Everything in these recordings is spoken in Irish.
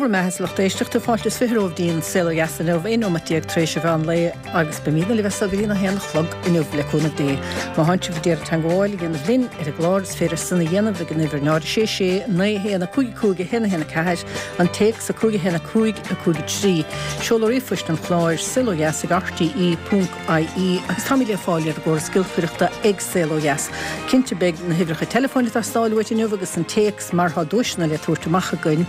Dé bhur mbeatha a lucht éisteachta, fáilte is 20 romhaibh dtí'n Saol Ó Dheas inniu, 11 nóimeat tar éis an mheán lae agus beimídne libh as so go dtí'n 1 a chlog inniu le cúnamh Dé. Má thánn sibh ag iarraidh teangmháil a dhéanamh linn ar an gclár is féidir san a dhéanamh ag an uimhir 0 6 6 9 1 5 5 1 1 4, an téacs 5 1 5 5 3. Seoladh ríomhphoist an chláir, saolodheas ag rte ponc ie agus táimid le fáil ar an gcóras giolcaireachta ag Saol Ó Dheas. Cinnte beidh na huimhreacha teileafóin ag teastáil uait inniu agus an téacs mar tá duaiseanna le tabhairt amach againn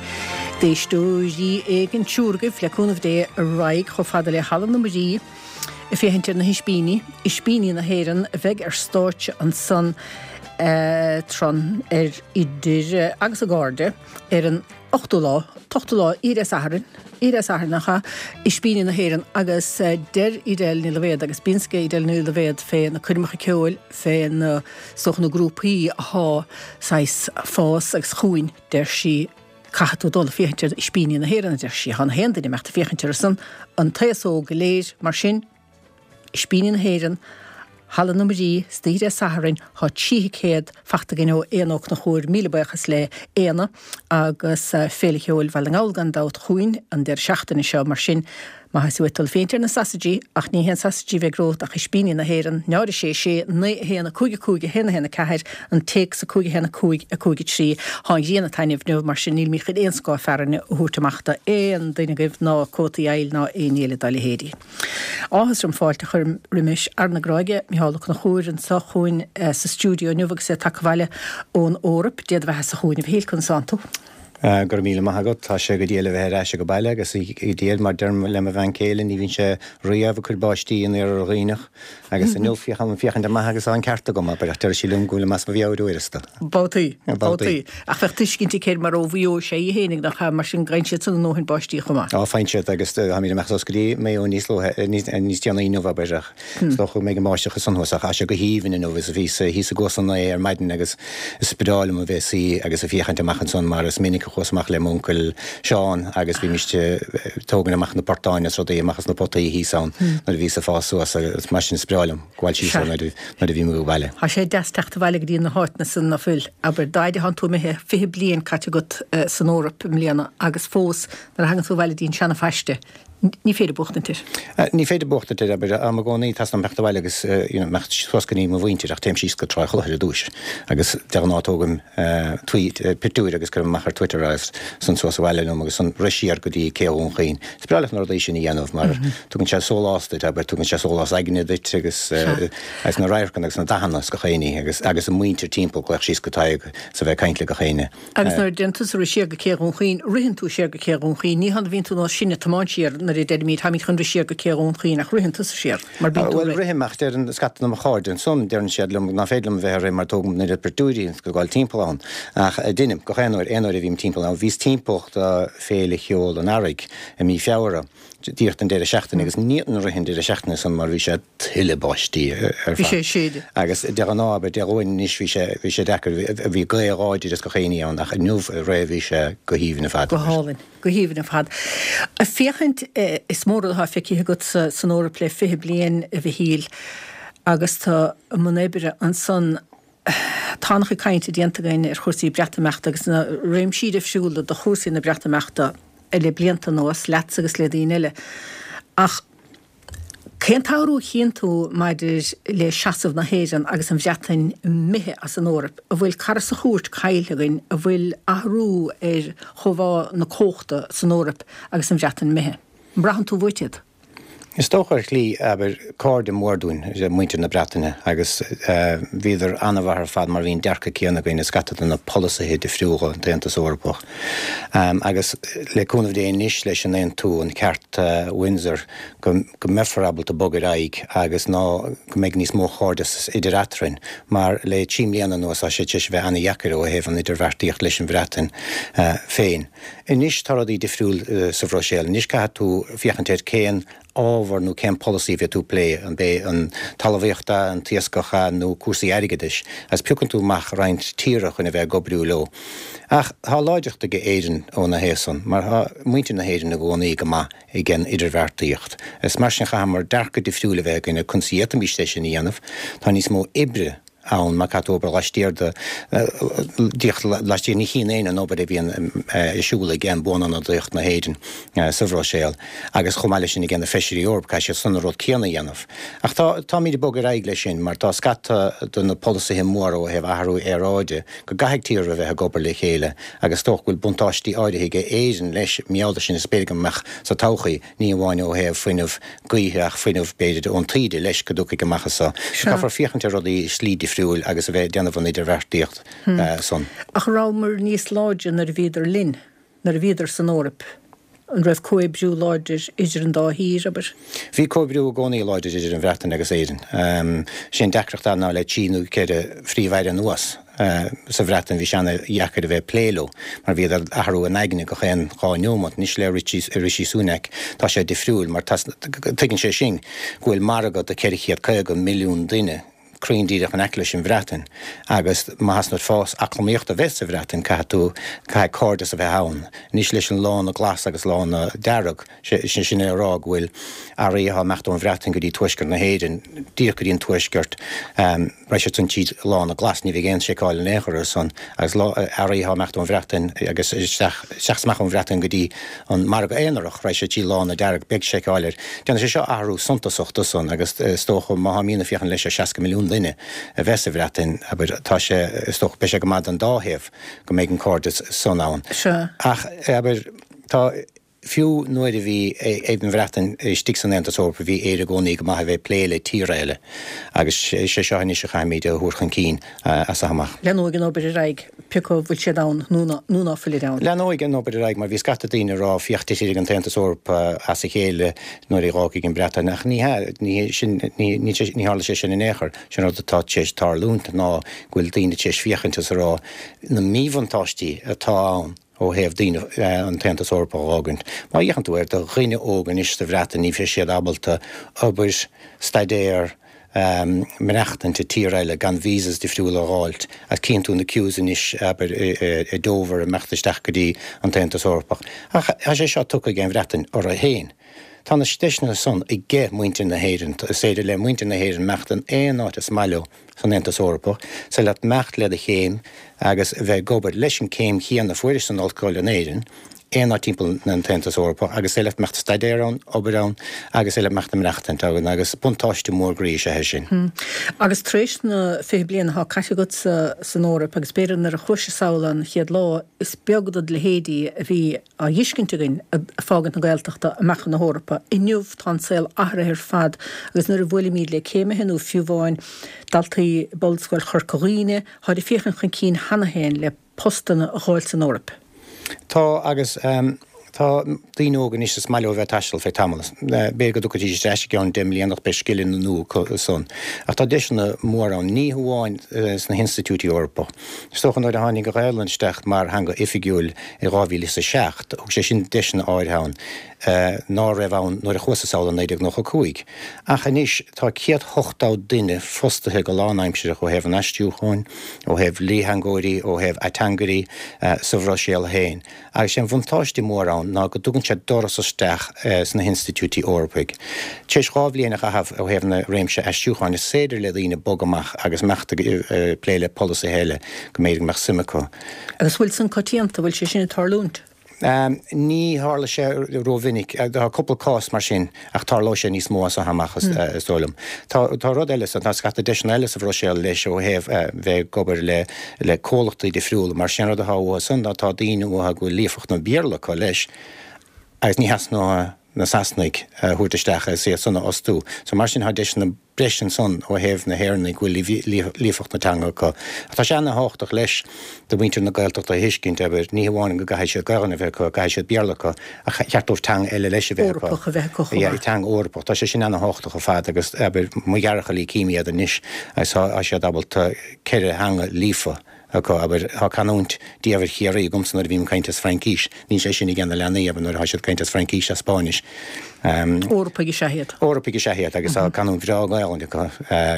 d'éisteoirí éigin, triúr agaibh, le cúnamh Dé, a raghaidh chomh fada le Halla na Muirí ag féachaint ar na hispíní, Ispíní na hÉireann, a bheidh ar stáitse ansan tráth ar idir agus a gcairde ar an ochtú lá, t-ochtú lá, Oíche Dé Sathairn, Oíche Dé Sathairn nach ea, Ispíní na hÉireann agus deir Edel Ní Loibhéad agus bíonn 's ag Edel Ní Loibhéad fé na coirmeacha ceoil, fé na, is dócha na grúpaí athá saghas fás agus chugainn, deir sí, caithfidh tú dul ag féachaint ar Ispíní na hÉireann, a deir sí, thá na haon duine imeacht ag féachaint orthu san, an t-aos óg go léir, mar sin. Ispíní na hÉireann, Halla na Muirí, istoíche Dé Sathairn, Tá 3 thicéad fachta againn ó Éanna Ó Conchúir, míle buíochas le Éanna, agus Féile Cheoil Bhaile na nGall gan dabht chugainn an deireadh seachtaine seo, mar sin má tá sé uait dul féachaint ar na sasaidí, ach ní haon sasaidí a bheidh romhat ach Ispíní na hÉireann, 0 6 6 9 1 5 5 1 1 4, an téacs 5 1 5 5 3. Tá an ghrian ag taitneamh inniu, mar sin nílimid chun aon scáth fearthainne a thabhairt amach do aon duine agaibh ná cótaí aoil ná aon ní eile dá leithéidí. Áthas orm fáilte a chur roimis fhear na Gráige, Micheál Ó Conchúir, anseo chugainn sa stiúideo inniu agus é tagtha abhaile ón Eoraip. Dé do bheatha-sa chugainn, a Mhichíl, conas tánn tú? Go raibh míle maith agat. Tá sé go diail a bheith ar ais ag baile agus go diail, mar deirim le mo bhean chéile, ní bhíonn sé riamh ag cur báistí in Iarthar Dhuibhneach agus inniu féachaim féachaint amach agus tá an ceart agam, abair, ach deir sí liom go bhfuilim as mo mheabhair uaireanta. Babhtaí. Babhtaí. Ach bheadh tuiscint aici air mar ó Mhaigh Eo is ea í fhéinig, nach ea? Mar sin faigheann siad san a ndóthain báistí chomh maith. Á, faigheann siad agus táimid amach suas go dtí Maigh Eo níos luaithe, níos déanaí inniu, abair, ach is dócha go mbeidh an bháisteach ansan thuas ach tá sé go haoibhinn inniu is bhíos thíos i gCuas an Ae ar maidin agus is breá liom a bheith suí agus ag féachaint amach ansan mar is minic a chuas amach le m'uncail Seán agus bhímist ag tógaint amach na portáin is rudaí amach as na potaí thíos ann nuair a bhíos ag fás suas agus mar sin is breá liom. Gabháil síos ann nuair a bhím ag baile. Tá sé deas teacht abhaile go dtí na háiteanna san ná fuil, abair, d'fhaid a thánn tú imithe, 20 bliain caite agat san Eoraip i mbliana agus fós nuair a thagann tú abhaile dtí an seana-phaiste, ní féidir buachtaint air. Ní féidir buachtaint air, abair, táim i gcónaí, teastaíonn uaim teacht abhaile agus you know imeacht suas go dtí mo mhuintir ach téim síos go Trá Chlochair ar dtúis agus de ghnáth tógaim tweet, pictiúir agus cuirim amach ar Twitter agus san suas abhaile liom agus san rith siar go dtí Cé Dhún Chaoin. Is breá leat na rudaí sin a dhéanamh mar tugann sé sólás duit, abair, tugann sé sólás aigne duit agus agus na radharcanna agus na dathanna is gach éinní agus agus an muintir timpeall, glaoch síos go Tadhg is a bheith ag caint le gach éinne. Agus nuair a dtéann tusa rith siar go Cé Dhún Chaoin, ritheann tú siar go Cé Dhún Chaoin, ní hann a bhíonn tú nós sinne ag tiomáint siar nuair a deirimid táimid chun rith siar go Cé Dhún Chaoin ach ritheann tusa siar mar bíonn tú ag rith. Bhuel, rithim ach deireann scata de mo chairde ansan, deireann siad liom ná féidir liom a bheith ag rith mar tógaim an oiread pictiúirí is ag gabháil timpeall ann. Ach deinim, gach aon uair, aon uair a bhím timpeall ann. Bhíos timpeall do Féile Cheoil an Earraigh i mí Feabhra, díreach don deireadh seachtaine agus ní fhéadfainn rith an deireadh seachtaine san mar bhí sé tuile báistí ar Bhí sé ag séideadh. Agus de ghnáth, abair, Dé Luain anois bhí sé, bhí sé deacair, bhí gaoth láidir is gach éinní ann ach inniu aréir bhí sé go haoibhinn ar fad. Go hálainn, go haoibhinn ar fad. Ag féachaint, is mór rud atá feicthe agat san Eoraip le 20 bliain, a Mhichíl, agus tú i mbun oibre ansan. Tá an-chuid cainte déanta againn ar chúrsaí Breatimeachta agus na réimsí difriúla de chúrsaí na Breatimeachta le blianta anuas, leatsa agus le daoine eile. Ach cén t-athrú a chíonn tú maidir le seasamh na hÉireann agus an Bhreatain imithe as an Eoraip? An bhfuil cara sa chúirt caillte againn? An bhfuil athrú ar chóimheá na cumhachta san Eoraip agus an Bhreatain imithe? An mbraitheann tú uait iad? Is dócha ar shlí, abair, cairde mór dúinn, muintir na Breataine, agus bhíodar an-mhaith ar fad mar bhí an dearcadh céanna againn i scata de na polasaithe difriúla an tAontas Eorpach. Agus le cúnamh Dé anois leis an aontú, an ceart Windsor, go mbeifear ábalta bogadh ar aghaidh agus ná go mbeidh níos mó chairdeas idir eatrainn, mar le trí mbliana anuas tá sé tar éis a bheith an-dheacair ó thaobh an idirbheartaíocht leis an Bhreatain féin. Anois tá rudaí difriúil sa Bhruiséil. Anois caithfidh tú féachaint ar cén ábhar nó cén polasaí a bheidh tú ag plé, an b'é an talmhaíocht é, an t-iascach é nó cúrsaí airgeadais, agus piocann tú amach roinnt tíortha chun a bheith ag oibriú leo. Ach tá láidreacht ag Éirinn óna thaobh san, mar tá muintir na hÉireann i gcónaí go maith ag an idirbheartaíocht. Is mar sin chaitheamar dearcadh difriúil a bheith againn ar conas a d'fhéadfaimis é sin a dhéanamh. Tá níos mó oibre. ann mar caithfidh tú obair laistiar de, díreach laistiar, ní chíonn éinne an obair a bhíonn ar siúl ag Buanionadaíocht na hÉireann sa Bhruiséil agus chomh maith leis sin ag na Feisirí Eorpacha, caithfidh siad san an rud céanna a dhéanamh. Ach tá, táimid ag bogadh ar aghaidh leis sin mar tá scata de na polasaithe móra ó thaobh athrú aeráide go gcaithfidh tíortha a bheith ag obair le chéile agus is dócha go bhfuil buntáistí áirithe ag Éirinn leis, mar gheall air sin is b'fhéidir go mbeadh sa todhchaí, ní amháin ó thaobh fuinneamh gaoithe ach fuinneamh b'fhéidir ón taoide leis go dtiocfaidh amach as so. Caithfear féachaint ar rudaí i slí difriúil agus a bheith ag déanamh an idirbheartaíocht san. Ach rabhamar níos láidre nuair a bhíodar linn, nuair a bhíodar san Eoraip. An raibh comhoibriú láidir idir an dá thír, abair? Bhí comhoibriú i gcónaí láidir idir an Bhreatain agus Éirinn. Sé an deacracht ná le trí nó ceithre phríomh-aire anuas sa Bhreatain bhí sé ana-dheacair a bheith ag plé leo mar bhíodar ag athrú a n-aigne gach aon dhá neomat. Anois le Rishi Sunak tá sé difriúil mar tuigeann sé sin go bhfuil margadh de 450 milliún duine cruinn díreach in aice leis an Bhreatain agus má theastaíonn uait fás eacnamaíochta a bheith sa Bhreatain caithfidh tú, caithfidh cairdeas a bheith ann. Anois leis an lána glas agus lána dearg, sé sin é a rá go bhfuil earraí atá ag imeacht ón Bhreatain go dtí tuaisceart na hÉireann, díreach go dtí an tuaisceart, raghaidh siad san tríd lána glas, ní bheidh aon seiceáil in aon chor ar san agus earraí atá ag imeacht ón Bhreatain agus isteach, isteach is amach ón Bhreatain go dtí an margadh aonarach, raghaidh sé trí lána dearg, beidh seiceáil air. Déanfaidh sé seo athrú suntasach do san agus is dócha má tháimídne ag féachaint leis ar 60 milliún duine a bheith sa Bhreatain, abair, tá sé, is dócha, beidh sé go maith don dá thaobh go mbeidh an cairdeas san ann. Ach, abair, tá, fiú nuair a bhí an Bhreatain istigh san Aontas Eorpach bhí Éire i gcónaí go maith a bheith ag plé le tíortha eile agus sé seo anois a chaithfimid a thabhairt chun cinn as seo amach. Leanóidh an obair ar aghaidh, pé acu an bhfuil siad ann nó ná fuilid ann. Leanóidh an obair ar aghaidh mar bhí scata daoine ag rá féach titfidh an tAontas Eorpach as a chéile nuair a dh'fhágfaidh an Bhreatain ach ní hea, ní sin, ní, ní, ní tharla sé sin in aon chor. Sin rud atá tar éis tarlúint ná go bhfuil daoine tar éis féachaint is a rá na míbhuntáistí atá ann ó thaobh daoine an tAontas Eorpach a dh'fhágaint. Má fhéachann tú ar do dhuine óg anois sa Bhreatain ní bheidh siad ábalta obair, staidéar, maireachtaint i tír eile gan visas difriúla a dh'fháilt agus cíonn tú na queues anois abair i Dover ag imeacht isteach go dtí an tAontas Eorpach. Ach tá sé seo tugtha ag an Bhreatain orthu féin. Tá na deiseanna san aige muintir na hÉireann. Is féidir le muintir na hÉireann imeacht in aon áit is maith leo san Aontas Eorpach, is féidir leat imeacht le do chéim agus bheith ag obair leis an céim chéanna a fuairis san ollscoil in Éirinn, aon áit timpeall an tAontas Eorpach agus is féidir leat imeacht ag staidéar ann, obair ann agus is féidir leat imeacht ag maireachtaint ann agus buntáiste mór groí is ea é sin. Agus tar éis na 20 bliain atá caite agat san Eoraip agus b'fhéidir nuair a chuais sall an chéad lá, is beag dod leithéidí a bhí á dh'fheiscint againn ag fágaint na Gaeltachta amach chun na hEorpa. Inniu tá an saol athraithe ar fad agus nuair a bhuailimíd le céimithe nó fiú amháin daltaí Ollscoil Chorca Dhuibhne, táid ag féachaint chun cinn cheana féin le postanna a dh'fháil san Eoraip. Tá, agus tá daoine óga anois is maith leo a bheith ag taisteal feadh tamall. B'fhéidir go dtiocfaidís ar ais i gceann 10 mbliana ach beidh scileanna nua acu san. Ach tá deiseanna móra ann, ní hamháin sna hinstitiúidí Eorpacha. Is dócha nuair a tháinig an Ghaelainn isteach mar theanga oifigiúil i 2007, thug sé sin deiseanna áirithe ann. ná raibh ann nuair a chuas-sa sall i 1995. Ach anois tá 180 duine fostaithe go lánaimsireach ó thaobh an aistriúcháin, ó thaobh dlítheangóirí, ó thaobh ateangairí sa Bhruiséil féin. Agus sé an bhuntáiste mór ann ná go dtugann sé doras isteach sna hinstitiúidí Eorpaigh. Tar éis 2 bhliain a chaitheamh ó thaobh na réimse aistriúcháin is féidir le daoine bogadh amach agus imeacht ag plé le polasaithe eile go mb'fhéidir go mbeadh suim acu. Agus bhfuil san coitianta, bhfuil sé sin ag tarlúint? Ní tharla sé rómhinic. Tá cúpla cás mar sin ach tarlóidh sé níos mó as seo amach is dóigh liom. Tá rud eile, tá scata deiseanna eile sa Bhruiséil leis ó thaobh bheith ag obair le comhlachtaí difriúla mar sé an rud atá uathu san ná tá daoine uathu go bhfuil líofacht an Bhéarla acu leis agus ní theastaíonn uathu na Sasanaigh a thabhairt isteach agus iad san a fhostú. So mar sin tá deiseanna breise ansan ó thaobh na hÉireannaigh go bhfuil líofacht na teanga acu. Ach tá sé ana-thábhachtach leis do mhuintir na Gaeltachta a thuiscint, abair, ní hamháin go gcaithfidh siad Gaelainn a bheith acu, caithfidh siad Béarla acu, ach cheart dóibh teanga eile leis a bheith acu. Eorpach a bheith acu chomh maith. Yeah, teanga Eorpach. Tá sé sin ana-thábhachtach ar fad agus, abair, mo dheartháireacha cím iad anois agus tá siad ábalta ceithre theanga líofa. acu, abair, tá canúint diamhair Chiarraí agamsa nuair a bhím ag caint as Fraincís, níl sé sin ag na leanaí, abair, nuair atá siad ag caint as Fraincís as Spáinnis. Eorpaigh is ea iad. Eorpaigh is ea iad agus tá canúint bhreá Gaelainne acu.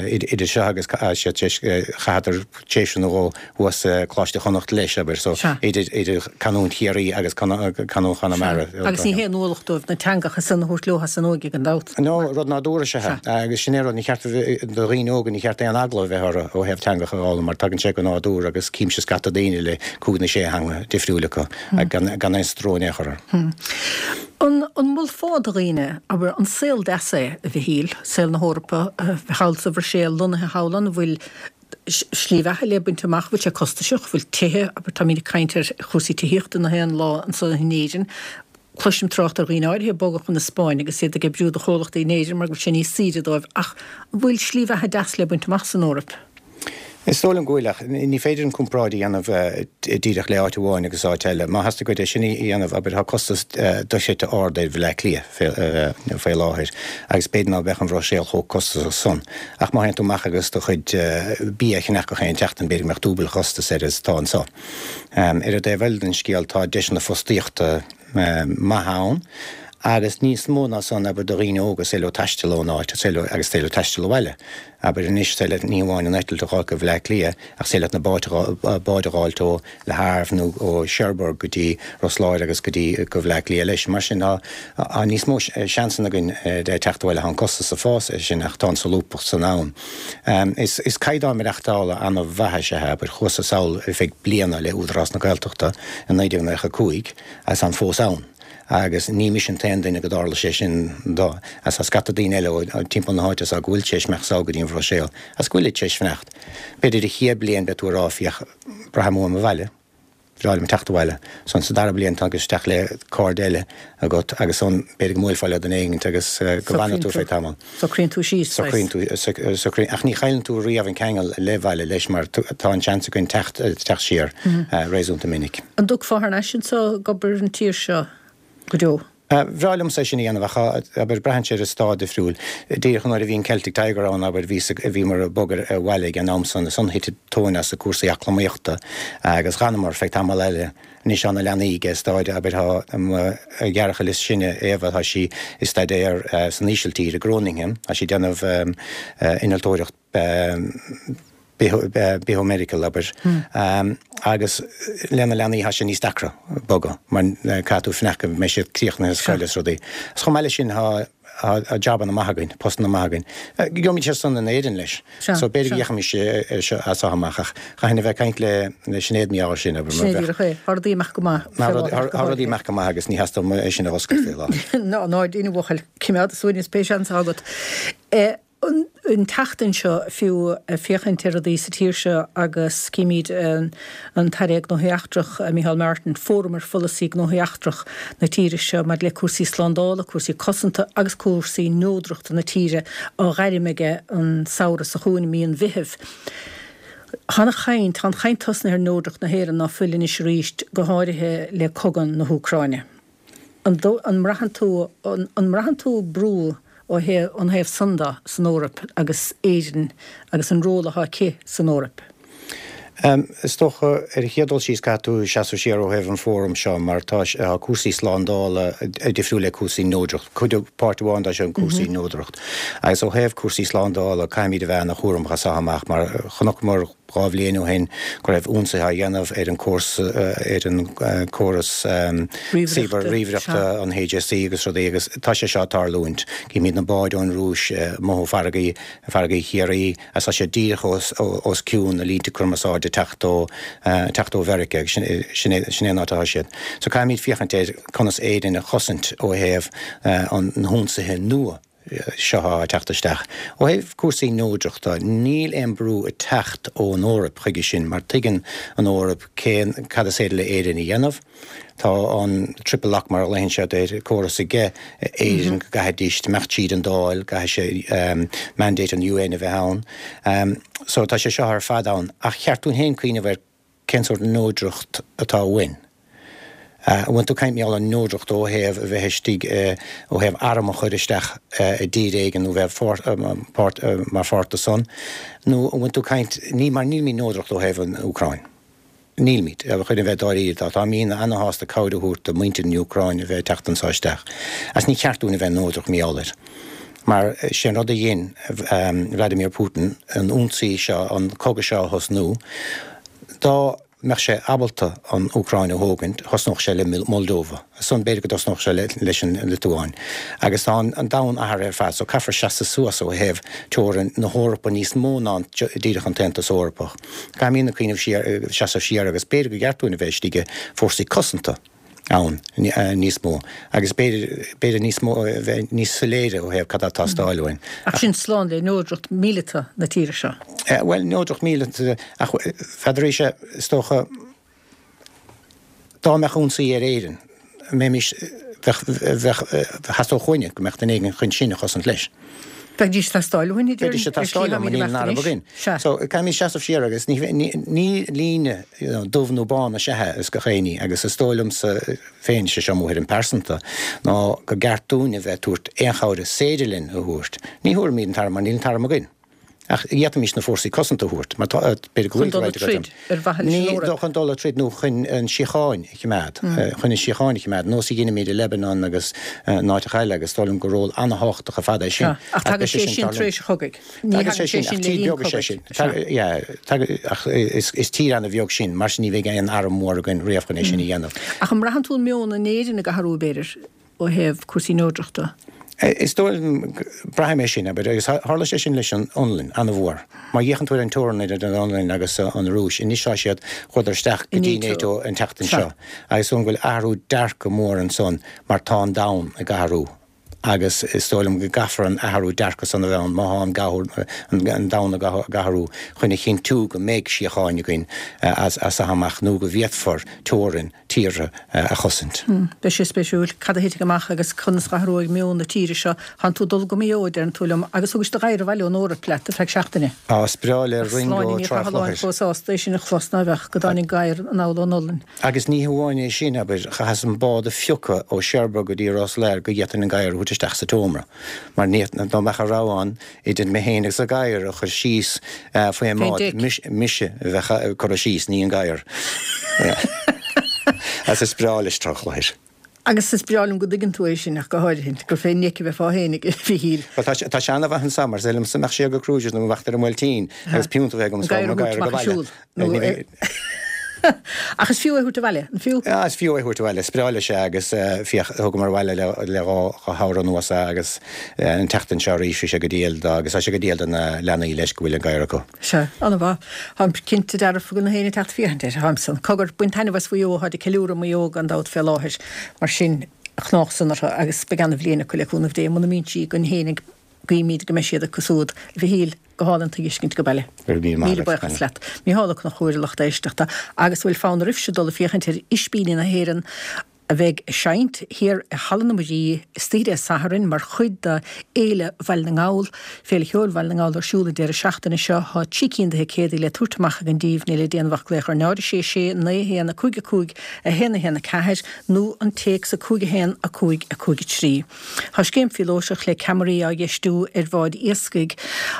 Idir seo agus chaitheadar tréimhse nó dhó thuas i Coláiste Chonnacht leis, abair, so idir idir canúint Chiarraí agus canúint Chonamara. Agus ní haon ualach dóibh na teangacha san a thabhairt leo san óige gan dabht. No, rud nádúrtha is ea é. Agus sin é rud, ní cheart do dhaoine óga, ní cheart aon eagla a bheith orthu ó thaobh teangacha a fhoghlaim mar tagann sé go nádúrtha agus címse scata daoine le cúig nó sé theanga difriúil acu gan aon stró in aon chor orthu. An molfá do dhaoine, abair, an saol deas é, a Mhichíl, saol na hEorpa, a bheith thall sa Bhruiséil, lonnaithe thall ann, an bhfuil slí bheatha le baint amach, bhfuil sé costasach, bhfuil tithe, abair, táimid ag caint ar chúrsaí tithíochta na haon lá anso in Éirinn, cloisim trácht ar dhaoine áirithe ag bogadh chun na Spáinne agus iad ag oibriú do chomhlachtaí in Éirinn mar go bhfuil sé níos saoire dóibh, ach an bhfuil slí bheatha deas le baint amach san Eoraip? Is dóigh liom go bhfuil, ach ní féidir an comparáid a dhéanamh díreach le áit amháin agus áit eile. Má theastaigh uait é sin a dhéanamh, abair, tá costas dochreidte ard ar Bhaile Átha Cliath faoi láthair agus b'fhéidir ná beadh an Bhruiséil chomh costasach san. Ach má théann tú amach agus do chuid bia a cheannach gach aon tseachtain, b'fhéidir go mbeadh dúbail an chostais air is atá anseo. Ar an dtaobh eile den scéal, tá deiseanna fostaíochta maithe ann agus níos mó ná san, abair, do dhaoine óga, is féidir leo taisteal ón áit, is féidir leo, agus is féidir leo taisteal abhaile. Abair anois, is féidir leat ní hamháin an eitilt a dh'fháil go Bhleá Cliath, ach is féidir leat na báid, báid a dh'fháilt ó Le Havre nó ó Cherbourg go dtí Ros Láir agus go dtí, go Bhleá Cliath leis. Mar sin, tá, tá níos mó seansanna againn de teacht abhaile. Tá an costas ag fás é sin ach tá an solúbthacht san ann. Is, is caighdeán maireachtála ana-mhaith is ea é. Abair, chuas-sa sall ar feadh bliana le Údarás na Gaeltachta i 1995 agus táim fós ann. Agus ní mise an t-aon duine go dtarla sé sin do, agus tá scata daoine eile ó timpeall na háite so go bhfuil tar éis imeacht sall go dtí an Bhruiséil, agus go bhfuilid tar éis fanacht. B'fhéidir an chéad bliain beidh tú ag rá féach, braithim uaim an bhaile, bhreá liom teacht abhaile. Ansan sa dara bliain tá isteach le cairde eile agat agus ansan b'fhéidir go mbuailfeá le duine éigint agus go bhfanfaidh tú feadh tamaill. Socraíonn tú síos, saghas. Socraíonn tú, socraíonn, ach ní chailleann tú riamh an ceangal le baile leis mar tá an seans againn teacht, teacht siar réasúnta minic. An dtiocfá thar n-ais anso ag obair an tír seo go deo? Bhreá liomsa é sin a dhéanamh ach, abair, braitheann sé ar an staid difriúil. Díreach nuair a bhí an Celtic Tiger ann, abair, bhí, bhíomar ag bogadh abhaile ag an am san, ansan thit an tóin as cúrsaí eacnamaíochta agus dh'fhanamar feadh tamall eile. Anois tá na leanaí ag staid, abair, tá mo ghearrchaile is sine, Éabha, tá sí ag staidéar san Ísiltír, i Groningen, tá sí ag déanamh innealtóireacht biomedical, abair, agus le na leanaí tá sé níos deacra bogadh mar caithfidh tú fanacht go mbeidh siad críochnaithe scoil is rudaí. Agus chomh maith leis sin tá Tá jabanna maith againn, postanna maith againn. Gheobhaimid iad san in Éirinn leis. So b'fhéidir go bhféachfaimis air seo as seo amach ach chaithfinn a bheith ag caint le Sinéad mar gheall air sin. Sin é díreach é. Tá rudaí ag imeacht go maith faoi láthair. Tá rudaí ag imeacht go maith agus ní theastódh uaim é sin a dh'oscailt faoi láthair. Ná ná déan a bhuachaill, coimeád i suaimhneas pé seans atá agat. An tseachtain seo fiú, ag féachaint ar rudaí sa tír seo agus címid an tAire Gnóthaí Eachtrach, Micheál Martin, fóram ar pholasaí gnóthaí eachtrach na tíre seo maidir le cúrsaí slándála, cúrsaí cosanta agus cúrsaí neodrachta na tíre á ghairm aige an samhradh seo chugainn i mí an Mheithimh. Tá an-chaint, tá an chaint tosnaithe ar neodracht na hÉireann ná fuil anois arís, go háirithe le cogadh na hÚcráine. An mbraitheann tú, an mbraitheann tú brú ó thaobh, ón thaobh san de san Eoraip agus Éirinn agus an ról atá aici san Eoraip? Is dócha, ar an chéad dul síos, caithfidh tú seasamh siar ó thaobh an fóram seo mar tá cúrsaí slándála difriúil le cúrsaí neodracht. Cuid, páirt amháin de seo cúrsaí neodracht. Agus ó thaobh cúrsaí slándála, caithfimid a bheith ana-chúramach as seo amach mar chonaiceamar, 2 bhliain ó shin go raibh ionsaithe á dhéanamh ar an ar an córas ríomhaireachta, an HSE agus rudaí agus tá sé seo ag tarlúint. Címid na báid ón Rúis amuigh ó farraigí, farraigí Chiarraí agus tá sé díreach os cionn na línte cumarsáide ag teacht ó, teacht ó Mheiriceá agus sin é, sin é an áit atá siad. So caithfimid féachaint ar conas Éirinn a chosaint ó thaobh na hionsaithe nua. seo atá ag teacht isteach. Ó thaobh cúrsaí neodrachta, níl aon brú ag teacht ón Eoraip chuige sin mar tuigeann an Eoraip cén, cad is féidir le Éirinn a dhéanamh. Tá an triple lock mar a ghlaonn siad air, córas aige Éirinn go gcaithfidís imeacht tríd an Dáil, gcaithfidh sé mandate an UN a bheith ann. So tá sé seo ar fad ann. Ach cheart dúinn féin cuimhneamh ar Cén sórt neodracht atá uainn? An bhfuil tú ag caint mar gheall ar neodracht ó thaobh a bheith istigh, ó thaobh arm a chur isteach i dtír éigin nó bheith páirt, mar pháirt de san, nó an bhfuil tú ag caint, ní, mar nílimid neodracht ó thaobh an Úcráin. Nílimid, chun a bheith dáiríre, tá táimídne ana-shásta cabhair a thabhairt do mhuintir na Úcráine a bheith ag teacht anso isteach, agus ní ceart dúinn a bheith neodrach mar gheall air. Mar sé an rud a dhein Vladimir Putin, an ionsaí seo, an cogadh seo a thosnú, dá mbeadh sé abalta an Úcráin a thógaint, thosnódh sé le Moldova. Ansan b'fhéidir go dtosnódh sé leis an Liotuáin. Agus tá an domhan athraithe ar fad so caithfear seasamh suas ó thaobh teorainn na hEorpa níos mó ná díreach an tAontas Eorpach. Caithfimidne cuimhneamh siar, seasamh siar agus b'fhéidir gur cheart dúinn a bheith istigh i fórsaí cosanta ann níos mó agus b'fhéidir, b'fhéidir níos mó, a bheith níos soiléire ó thaobh cad atá ag teastáil uainn. Ach sin slán le neodracht míleata na tíre seo. Bhuel, neodracht míleata, ach n'fheadar, is dócha, Dá mbeadh ionsaí ar Éirinn, an mbeimis, bheadh, bheadh, theastódh uainne go mbeadh duine éigin chun sinn a chosaint leis. Bheidís ag teastáil uainn, a déarfainn, Bheidís ag teastáil uainn, mar níl an arm againn. Sea. So, caithfimid seasamh siar agus ní, ní, ní líne, you know, dubh nó bán is ea é is gach éinní agus is dóigh liomsa féin, sé seo mo thuairim pearsanta, ná gur ceart dúinn a bheith ag tabhairt aon chabhair is féidir linn a thabhairt. Ní thabharfaimid an t-arm mar níl an t-arm againn. Ach d'fhéadfaimis na fórsaí cosanta a thabhairt, mar tá, b'fhéidir go bhfuil Chun dul ag troid ar mhaithe leis an Eoraip. Chun dul ag troid nó chun an síocháin a choimeád, chun an síocháin a choimeád, nós a dheinimid i Lebanon agus in áiteacha eile agus is dóigh liom gur ról an-thábhachtach ar fad é sin. Ach tagann sé sin tar éis an chogaidh. Ní thagann sé sin le linn cogaidh. Yeah, ach is tír an-bheag sinn, mar sin ní bheidh aon arm mór againn riamh chun é sin a dhéanamh. Ach an mbraitheann tú an meon in Éirinn ag athrú, b'fhéidir? ó thaobh cúrsaí neodrachta? Is dóigh liom, braithim é sin, abair, agus tharla sé sin leis an Fhionlainn, an-mhór. Má fhéachann tú ar an teorainn idir an Fhionlainn agus an Rúis, anois tá siad, chuadar isteach go dtí NATO an tseachtain seo, agus is dóigh liom go bhfuil athrú dearcadh mór ansan mar tá an domhan ag athrú agus is dóigh liom go gcaithfear an athrú dearcadh san a bheith ann má tá an domhan ag athrú chun a chinntiú go mbeidh síocháin againn as seo amach nó go bhféadfar teorainn tíortha a chosaint. Beidh sé spéisiúil cad a thitfidh amach agus conas a athróidh meon na tíre seo. Tánn tú ag dul go Maigh Eo, a deireann tú liom, agus thugais do ghadhar abhaile ón Eoraip leat ar feadh seachtaine. Á, is breá le Ringo Ach sláine ní Trá Chathalláin Chlochair. chomh sásta é sin a chlos ná bheadh, go dtáinig gadhar anall ón Ollainn. Agus ní hamháin é sin, abair, chaitheas an bád a phiocadh ó Cherbourg go dtí Ros Láir go bhféadfainn an gadhar a thabhairt isteach sa tseomra. Mar ní, dá mbeadh a rogha ann, idir mé féin agus an gadhar a chur síos faoin mbád, mise a bheadh curtha síos, ní an gadhar. Agus is breá leis Trá Chlochair. Agus is breá liom go dtuigeann tú é sin ach go háirithe, gur fén ndeic a bheifeá féin a Mhichíl. Bhuel, tá sé ana-mhaith anso, mar is dóigh liomsa mbeadh siar go cruises nó amach ar an mBuailtín agus piúnta a bheith agam is mo ghadhar go baile. Ach is fiú é a thabhairt abhaile, an fiú? Ah, is fiú é a thabhairt abhaile. Is breá leis é agus féach, thugamar abhaile le dha shamhradh anuas é agus an tseachtain seo arís bhí sé go diail do, agus tá sé go diail do na leanaí leis go bhfuil an gadhar acu. Sea, an-mhaith. Táim cinnte dearfa go bhfuil na héinne ag teacht féachaint air, táim san. Cogar, bain taitneamh as Mhaigh Eo, táid ag ceiliúradh Maigh Eo gan dabht fé láthair, mar sin, chnách san orthu agus beidh ana-bhliain acu le cúnamh Dé, muna mbíonn sí againn fhéinig. Guímid go mbeidh siad acu siúd. A Mhichíl, go hálainn tuiscint go baile. Go raibh míle maith Míle agat. buíochas leat. Mícheál Ó Conchúir, a lucht éisteachta. Agus an bhfuil fonn oraibhse dul ag féachaint ar Ispíní na hÉireann a bheidh ag seinnt thiar i Halla na Muirí istoíche Dé Sathairn mar chuid de Fhéile Bhaile na nGall, Féile Cheoil Bhaile na nGall ar siúl an deireadh seachtaine seo. Tá 3 cinn de thicéadaí le tabhairt amach againn díbh, níl le déanamh ach glaoch ar 0 6 6 9 1 5 5 1 1 4 nó an téacs 5 1 5 5 3. Tá scéim phíolótach le ceamaraí á dheistiú ar bháid iascaigh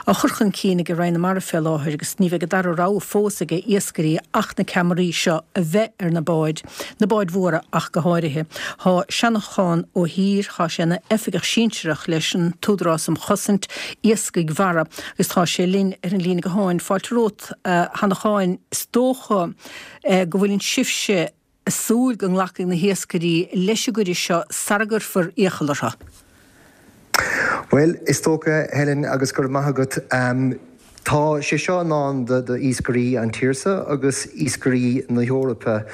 á chur chun cinn ag Roinn na Mara fé láthair agus ní bheidh an dara rogha fós ag iascairí ach na ceamaraí seo a bheith ar na báid, na báid mhóra ach go háirithe. Tá Seanchán Ó hÍr, tá sé ina oifigeach sinsearach leis an tÚdarás um Chosaint Iascaigh Mhara agus tá sé linn ar an líne gutháin. Fáilte romhat a Sheanacháin. Is dócha go bhfuileann sibhse ag súil go nglacfaidh na hiascairí leis an gcuireadh seo sara gcuirfear iachall orthu. Bhuel, is dócha, Helen, agus go raibh maith agat, tá sé seo i ndán d'iascairí an tír seo agus iascairí na hEorpa,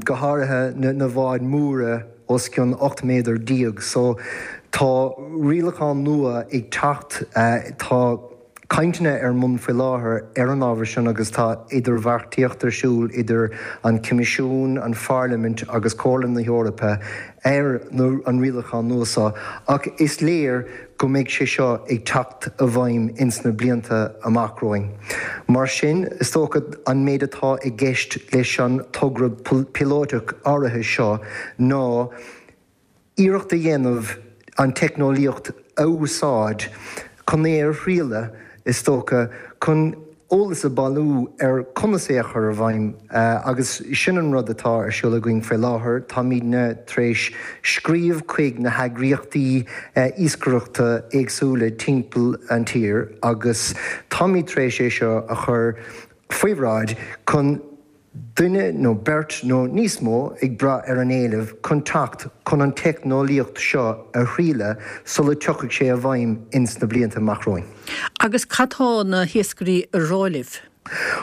go háirithe na báid mhóra os cionn 18 méadar. So, tá rialachán nua ag teacht, tá. cainteanna ar bun faoi láthair ar an ábhar sin agus tá idirbheartaíocht ar siúl idir an Coimisiún, an Pharlaimint agus Comhairle na hEorpa ar an rialachán nua seo ach is léir go mbeidh sé seo ag teacht i bhfeidhm ins na blianta amach romhainn. Mar sin, is dócha an méid atá i gceist leis an togra píolótach áirithe seo ná, iarracht a dhéanamh an teicneolaíocht a úsáid chun é a thrialadh, is dócha, chun. eolas a bailiú ar conas é a chur i bhfeidhm agus sin an rud atá ar siúl againn faoi láthair. Táimidne tar éis scríobh chuig na heagraíochtaí iascaireachta éagsúla timpeall an tír agus táimid tar éis é seo a chur faoi bhráid chun duine nó beirt nó níos mó, ag brath ar an éileamh, chun teacht chun an teicneolaíocht seo a thriaileadh sula tiocfaidh sé i bhfeidhm ins na blianta amach romhainn. Agus cad tá na hiascairí a rá libh?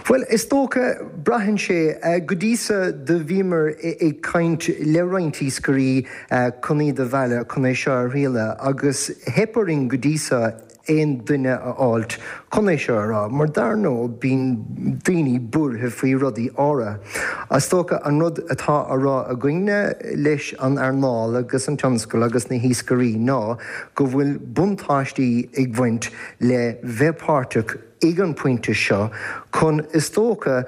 Bhuel, is dócha, braitheann sé. Go dtí so do bhíomar ag caint le roinnt iascairí chun iad a mhealladh chun é seo a thriaileadh agus theip orainn go dtí so aon duine a fháilt chun é seo a rá, mar dar ndóigh bíonn daoine buartha faoi rudaí áirithe. Is dócha an rud atá á rá againne leis an earnáil agus an tionscal agus na hiascairí ná go bhfuil buntáistí ag baint le bheith páirteach ag an bpointe seo chun is dócha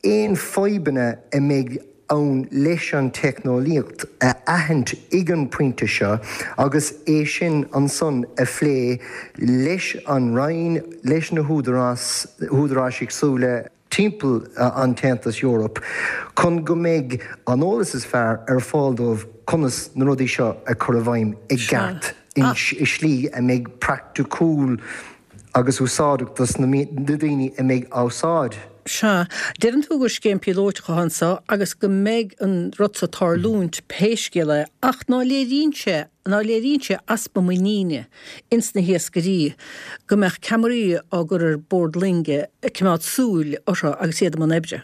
aon fadhbanna a mbeidh ann leis an teicneolaíocht a aithint ag an bpointe seo agus é sin ansan a phlé leis an Roinn, leis na húdaráis éagsúla timpeall an tAontas Eorpach chun go mbeidh an eolas is fearr ar fáil dóibh conas na rudaí seo a chur i bhfeidhm i gceart i slí a mbeidh praiticiúil agus úsáideach dos na daoine a mbeidh á úsáid. Sea. Deireann tú gur scéim píolóiteach atá anseo agus go mbeidh an rud so ag tarlúint pé scéal é, ach ná léiríonn sé, ná léiríonn sé easpa muiníne ins na hiascairí go mbeadh ceamaraí á gcur ar bord loinge ag coimeád súil orthu agus iad i mbun oibre?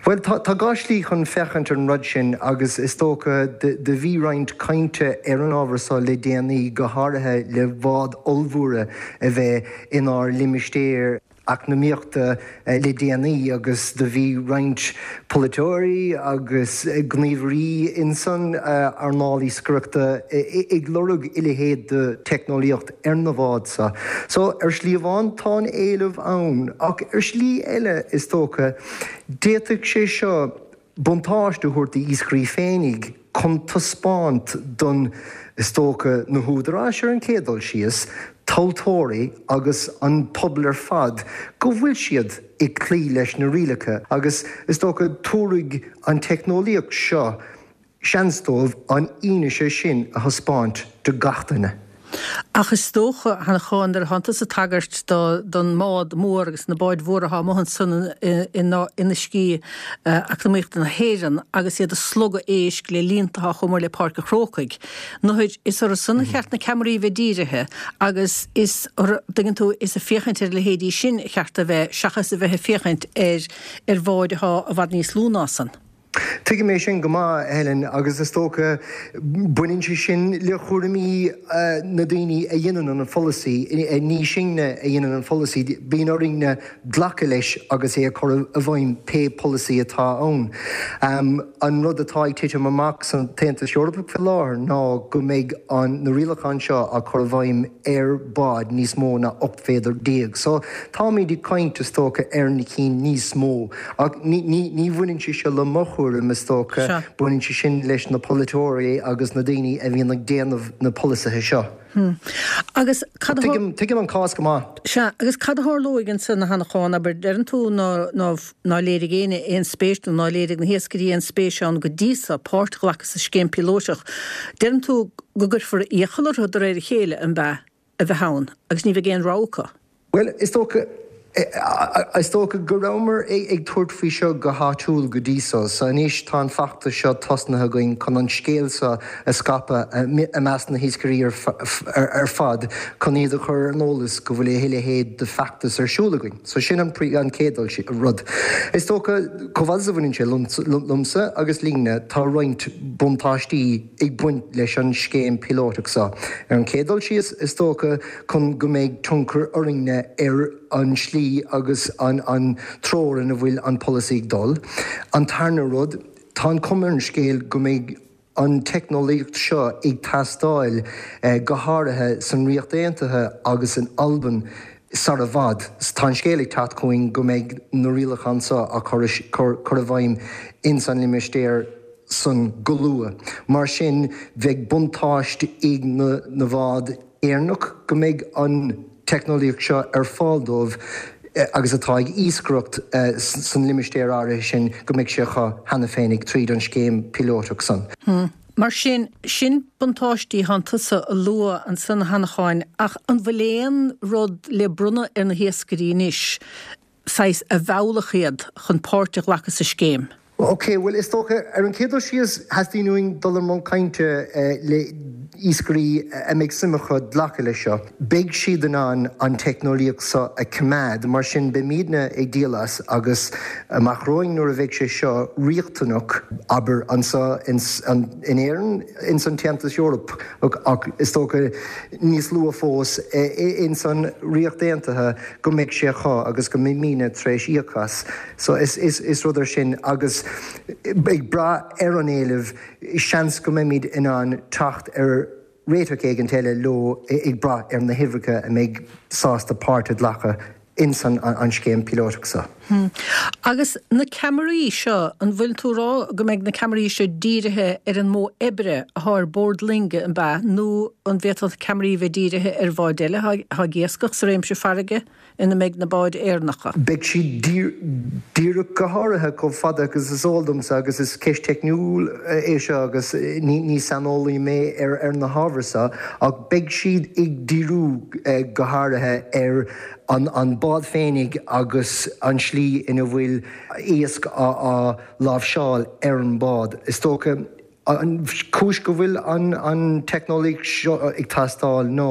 Bhuel, tá dhá shlí chun féachaint ar an rud sin agus is dócha do bhí roinnt cainte ar an ábhar so le déanaí, go háirithe le báid ollmhóra a bheith inár limistéar eacnamaíochta le déanaí agus do bhí roinnt polaiteoirí agus gníomhairí insan earnáil iascaireachta ag lorg a leithéid de teicneolaíocht ar na báid so. So, ar shlí amháin, tá an éileamh ann, ach ar shlí eile, is dócha, d'fhéadfadh sé seo buntáiste a thabhairt d'iascairí féinig chun taispeáint don, is dócha, na húdaráis ar an chéad dul síos, tomhaltóirí agus an pobal ar fad go bhfuil siad ag cloí leis na rialacha agus, is dócha, tabharfaidh an teicneolaíocht seo seans dóibh an fhianaise sin a thaispeáint do gach duine. Ach is dócha, a Sheanchán, nuair atánn tusa ag tagairt don mbád mór agus na báid mhóra atá amuigh ansan in uiscí eacnamaíochta na hÉireann agus iad ag slogadh éisc le líonta atá chomh mór le Páirc an Chrócaigh, nuair is orthu san a cheart na ceamaraí a bheith dírithe agus is orthu, dtuigeann tú, is ag féachaint ar a leithéidí sin a cheart a bheith seachas a bheith ag féachaint ar ar bháid atá i bhfad níos lú ná san. Tuigim é sin go maith, a Helen, agus is dócha, baineann sé sin le chúraimí na daoine a dhéanann an pholasaí. Ní sinne a dhéanann an pholasaí, bíonn orainne glacadh leis agus é a chur i bhfeidhm, pé polasaí atá ann. An rud atá ag titim amach san tAontas Eorpach faoi láthair ná go mbeidh na rialacháin seo á cur i bhfeidhm ar bháid níos mó ná 18 mhéadar. So, táimid ag caint, is dócha, ar na cinn níos mó. Ach ní bhaineann sé seo le mo chúram, is dócha, baineann sé sin leis na polaiteoirí agus na daoine a bhíonn ag déanamh na polasaithe seo. Agus cad a. Tuigim an cás go maith. Sea, agus cad a tharlóidh ansan, a Sheanacháin, abair, deireann tú ná léirigh éinne aon spéis nó ná léirigh na hiascairí aon spéis ann go dtí so, páirt a ghlacadh sa scéim píolóiseach. Deireann tú go gcuirfear iachall orthu de réir a chéile, an b'ea? a bheith ann agus ní bheidh aon rogha acu. Bhuel, is dócha, is dócha go rabhamar ag tabhairt faoi seo go háitiúil go dtí so. So anois tá an feachtas seo tosnaithe againn chun an scéal seo a scaipeadh i measc na hiascairí ar fad chun iad a chur ar an eolas go bhfuil a leithéid de feachtas ar siúl againn. So sin an chéad rud. Is dócha, chomh fada is a bhaineann sé liomsa agus linne, tá roinnt buntáistí ag baint leis an scéim píolótach seo. Ar an chéad dul síos, is dócha, chun go mbeidh tionchar orainne ar an slí agus an treoir ina bhfuil an polasaí ag dul. An tarna rud, tá an chuma ar an scéal go mbeidh an teicneolaíocht seo ag teastáil, go háirithe san Ríocht Aontaithe agus in Albain sar i bhfad. Tá an scéal ag teacht chugainn go mbeidh na rialacháin seo á cur i bhfeidhm ins an limistéar san go luath. Mar sin, bheadh buntáiste ag na báid Éireannach go mbeidh an teicneolaíocht seo ar fáil dóibh. agus atá ag iascaireacht san limistéar áirithe sin go mbeidh sé acu cheana féinig tríd an scéim píolótach san. Mar sin, sin buntáistí thánn tusa a lua ansan a Sheanacháin ach an bhfuil aon rud le bronnadh ar na hiascairí anois, saghas a mheallfadh iad chun páirt a ghlacadh sa scéim? Ok, bhuel is dócha, ar an chéad dul síos, theastaíonn uainn dul i mbun cainte le iascairí a mbeidh suim acu glacadh leis seo. Beidh siad in ann an teicneolaíocht seo a choimeád, mar sin beimidne ag díol as agus amach romhainn nuair a bheidh sé seo riachtanach, abair, anseo in Éirinn, ins an tAontas Eorpach ach is dócha níos luath fós ins an Ríocht Aontaithe go mbeidh sé acu agus go mbeimidne tar éis íoc as. So is rud é sin agus ag brath ar an éileamh, seans go mbeimid in ann teacht ar réiteach éigint eile leo ag brath ar na huimhreacha a mbeidh sásta páirt a ghlacadh ins an scéim píolótach seo. Agus na ceamaraí seo, an bhfuil tú a rá go mbeidh na ceamaraí seo dírithe ar an modh oibre athá ar bord loinge, an bea, nó an bhféadfadh na ceamaraí bheith dírithe ar bháid eile athá ag iascach sa réimse farraige? ina mbeidh na báid Éireannacha. Beidh siad díreach go háirithe chomh fada agus is eol domsa agus is ceist teicniúil é seo agus ní saineolaí mé ar na hábhair seo ach beidh siad ag díriú go háirithe ar an bád féinig agus an slí ina bhfuil iasc á láimhseáil ar an bád. Is dócha An chúis go bhfuil an teicneolaíocht seo ag teastáil ná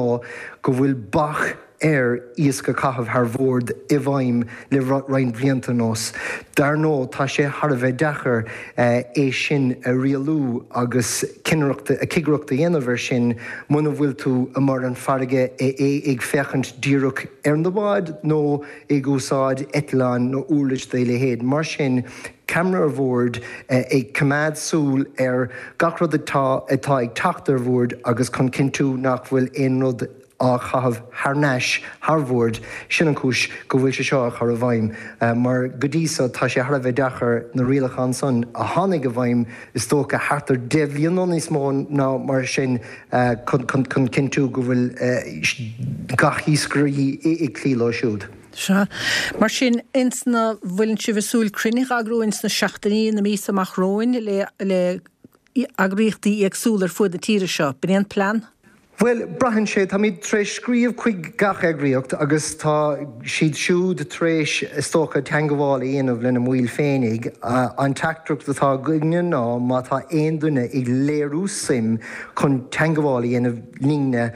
go bhfuil bac ar iasc a chaitheamh thar bhord i bhfeidhm le roinnt blianta anuas. Dar ndóigh, tá sé thar a bheith deacair é sin a rialú agus cinnireacht, cigireacht a dhéanamh air sin muna bhfuil tú amuigh ar an bhfarraige ag féachaint díreach ar na báid nó ag úsáid eitleáin nó uirlis dá leithéid. Mar sin, ceamara ar bhord ag coimeád súil ar gach rud atá atá ag teacht ar bhord agus chun cinntiú nach bhfuil aon rud á chaitheamh thar n-ais thar bhord, sin an chúis go bhfuil sé seo á chur i bhfeidhm mar go dtí so tá sé thar a bheith deacair na rialacháin san a tháinig i bhfeidhm is dócha thart ar 10 bhliain nó níos mó ná mar sin chun cinntiú go bhfuil gach iascaire ag cloí leo siúd. Sea. Mar sin, ins na, bhfuileann sibh ag súil cruinnithe a eagrú ins na seachtainí, na míosa amach romhainn le, le eagraíochtaí éagsúla ar fuaid na tíre seo? B'in é an plean? Bhuel, braitheann sé. Táimid tar éis scríobh chuig gach eagraíocht agus tá siad siúd tar éis, is dócha, teangabháil a dhéanamh lena mbaill féinig. An teachtaireacht atá againne ná má tá aon duine ag léiriú suim chun teangabháil a dhéanamh linne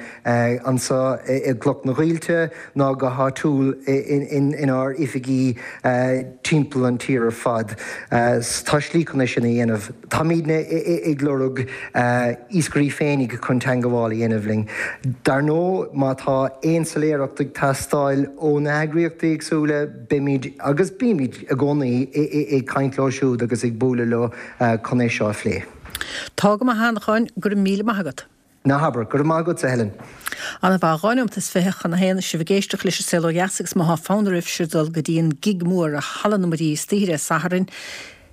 anseo i gCloch na Coillte ná go háitiúil inár oifigí timpeall an tír ar fad. Tá slí chun é sin a dhéanamh. Táimidne ag lorg iascairí féinig chun teangabháil a dhéanamh linn. Dar ndóigh, má tá aon soiléireacht ag teastáil ó na heagraíochtaí éagsúla, beimid, agus bímid i gcónaí, ag caint leo siúd agus ag bualadh leo chun é seo a phlé. Tá go maith a Sheanacháin, go raibh míle maith agat. Ná habair. Go raibh maith agatsa, a Helen. Ana mhaith. 2 nóimeat is 20 chun a haon is sibh ag éisteacht leis an Saol Ó Dheas agus má thá fonn oraibhse dul go dtí an gig mór i Halla na Muirí istoíche Dé Sathairn,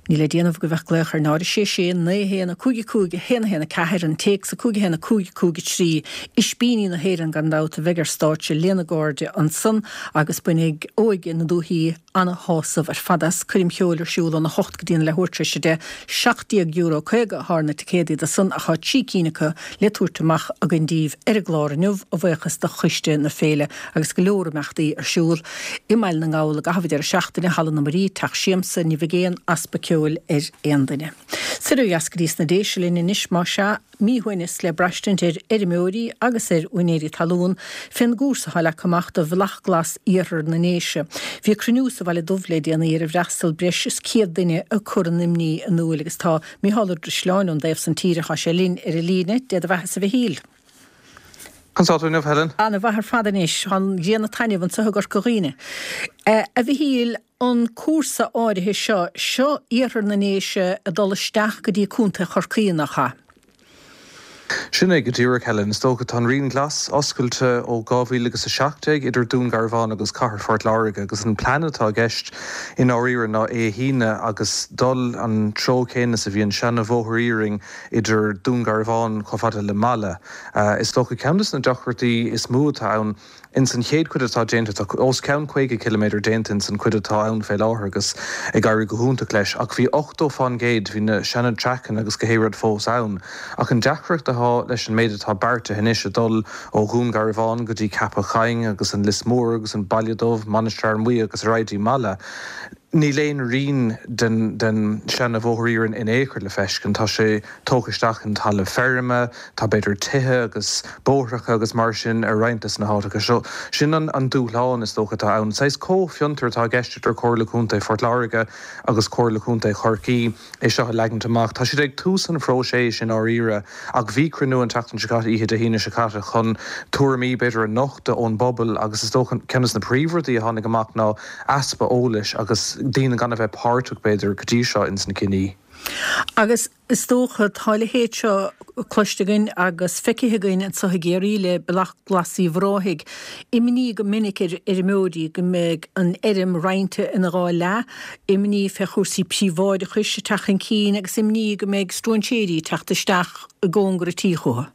níl le déanamh ach a bheith ag glaoch ar 0 6 6 9 1 5 5 1 1 4, an téacs 5 1 5 5 3. Ispíní na hÉireann gan dabht a bheidh ar stáitse lena gcairde ansan agus bainfidh óige na dúichí ana-shásamh ar fad as. Coirm cheoil ar siúl óna hocht go dtí an leathuair tar éis a deich. €17.50 atá ar na ticéadaí do san ach tá 3 cinn acu le tabhairt amach againn díbh ar an gclár inniu, a bhuíochas do choiste na féile agus go leor imeachtaí ar siúl i mBaile na nGall i gcaitheamh an deireadh seachtaine, Halla na Muirí, Teach Siamsa, ní bheidh aon easpa ceoil ar aon duine. Soir ó dheas go dtí sna Déise linn anois, más ea. Míshuaimhneas le braistint ar fheirmeoirí agus ar úinéirí talún fén gcúrsa atá leagtha amach do Bhealach Glas Iarthar na nDéise. Bhí cruinniú sa Bhaile Dubh le déanaí ar ar fhreastal breis is 100 duine ag cur a n-imní in iúil agus tá Micheál Ó Drisleáin ón dtaobh san tíre, tá sé linn ar an líne. Dé do bheatha-sa a Mhichíl. Conas tá tú inniu, Helen? Ana mhaith ar fad anois. Tá an ghrian ag taitneamh anseo i gCorca Dhuibhne. A Mhichíl, an cúrsa áirithe seo, seo iarthar na nDéise ag dul isteach go dtí Contae Chorcaí, nach ea? Sin é go díreach, Helen. Is dócha, tá an Rian Glas oscailte ó 2017 idir Dún Garbhán agus Cathair Phort Láirge agus an plean atá i gceist i ndáiríre ná é a shíneadh agus dul an treo céanna is a bhí an seana-bhóthar iarainn idir Dún Garbhán chomh fada le Mala. Is dócha ceann de na deacrachtaí is mó atá ann. Ins an chéad chuid atá déanta, tá os cionn 50 ciliméadar déanta ins an chuid atá ann fé láthair agus ag éirí go hiontach leis ach bhí 80 fán gcéad, bhí na seana traiceanna agus gach aon rud fós ann. Ach an deacracht atá leis an méid atá beartaithe anois, ag dul ó Dhún Garbhán go dtí Ceapach Choinn agus an Lios Mór agus an Baile Dubh, Mainistir Fhear Maí agus ar aghaidh dtí Mala, Níl aon rian den den seana-bhóthar iarainn in aon chor le feiscint. Tá sé tógtha isteach in talamh feirme, tá b'fhéidir tithe agus bóithreacha agus mar sin ar roinnt des na háiteacha seo. Sin an an dúshlán is dócha atá ann. Saghas comhfhiontar atá i gceist idir Comhairle Contae Phort Láirge agus Comhairle Contae Chorcaí. é seo a leagaint amach. Tá siad ag tús an phróiseas i ndáiríre ach bhí cruinniú an tseachtain seo caite, oíche Dé hAoine seo caite, chun tuairimí, b'fhéidir, a nochtadh ón bpobal agus is dócha ceann de na príomhrudaí a tháinig amach ná easpa eolais agus daoine gan a bheith páirteach, b'fhéidir, go dtí seo ins na cinní. Agus is dócha, tá a leithéid seo cloiste againn agus feicthe againn anseo i gCiarraí le Bealach Glas Uíbh Ráthaigh. Imní go minic ar fheirmeoirí go mbeidh an fheirm roinnte ina dhá leath, imní fé chúrsaí príobháideachais ag teacht chun cinn agus imní go mbeidh stróinséirí ag teacht isteach i gcóngar an tí chucu.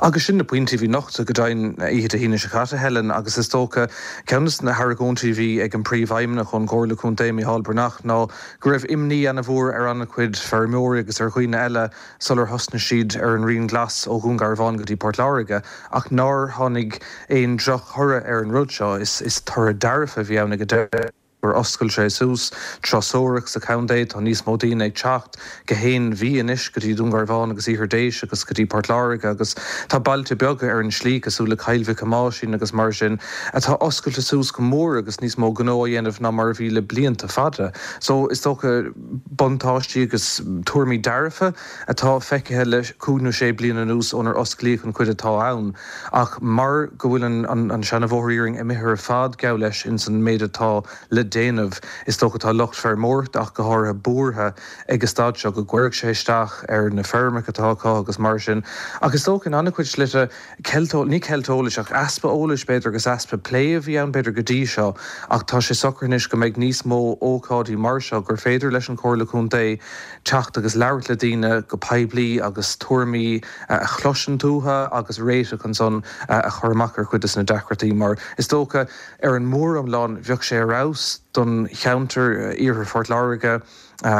Agus sin na pointí a bhí nochta go deimhin oíche Dé hAoine seo caite, Helen, agus is dócha ceann de na hargóintí a bhí ag an bPríomhfheidhmeannach ón gComhairle Contae, Micheál Breathnach, ná go raibh imní ana-mhór ar an-chuid feirmeoirí agus ar dhaoine eile sular thosnaigh siad ar an Rian Glas ó Dhún Garbhán go dtí Port Láirge ach nár tháinig aon droch-thoradh ar an rud seo. Is toradh dearfa a bhí ann ag an deireadh gur oscail sé suas turasóireacht sa chontae, tá níos mó daoine ag teacht gach aon mhí anois go dtí Dún Garbhán agus Iarthar Déise agus go dtí Port Láirge agus tá bailte beaga ar an slí cosúil le Cill Mhic Thomáisín agus mar sin atá oscailte suas go mór agus níos mó gnó á dhéanamh ná mar a bhí le blianta fada. So is dócha buntáistí agus tuairimí dearfa atá feicthe le cúig nó sé bliana anuas ónar osclaíodh an chuid atá ann ach mar go bhfuil an seana-bhóthar iarainn imithe ar fad geall leis ins an méid atá le déanamh is dócha tá lucht feirmeoireachta ach go háirithe buartha ag an staid seo go gcuirfeadh sé isteach ar na feirmeacha atá acu agus mar sin ach is dócha in an-chuid slite ceilt, ní ceilt eolais ach easpa eolais b'fhéidir agus easpa plé a bhí ann b'fhéidir go dtí seo ach tá sé socraithe anois go mbeidh níos mó ócáidí mar seo gur féidir leis an Chomhairle Contae teacht agus labhairt le daoine go poiblí agus tuairimí a chloisint uathu agus réiteach ansan a chur amach ar chuid de na deacrachtaí mar is dócha ar an móriomlán bheadh sé ar fheabhas don cheantar, Iarthar Phort Láirge.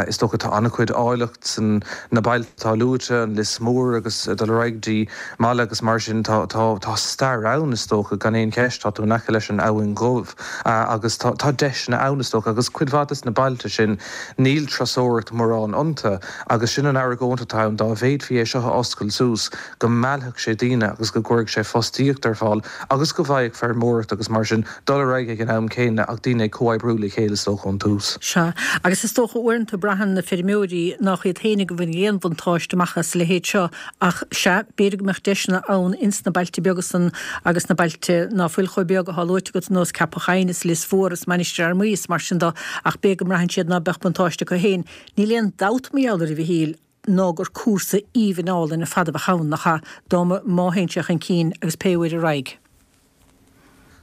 Is dócha tá an-chuid áilleacht san na bailte atá luaite, an Lios Mór agus ag dul ar aghaidh go dtí Mala agus mar sin. Tá, tá, tá stair ann is dócha, gan aon cheist, tá tú in aice leis an Abhainn Dhubh agus tá, tá deiseanna ann is dócha agus cuid mhaith des na bailte sin níl turasóireacht mórán iontu agus sin an argóint atá ann, dá bhféadfaí é seo a oscailt suas go meallfadh sé daoine agus go gcuirfeadh sé fostaíocht ar fáil agus go bhfaigheadh feirmeoireacht agus mar sin dul ar aghaidh ag an am céanna ach daoine ag comhoibriú le chéile is dócha ón tús. Sea, agus is dócha uaireanta braitheann na feirmeoirí nách iad féinig a bhainfidh aon bhuntáiste amach as a leithéid seo ach sea, b'fhéidir go mbeadh deiseanna ann ins na bailte beaga san agus na bailte ná fuil chomh beag athá luaite agat ar nós Ceapach Choinn is Lios Mhór is Mainistir Fhear Maí is mar sin do ach b'fhéidir go mbraitheann siad ná beadh buntáiste acu féin. Níl aon dabht mar gheall air a Mhichíl ná gur cúrsa aoibhinn álainn ar fad a bheadh ann, nach ea, dá mba, má théann sé chun cinn agus pé uair ar aghaidh.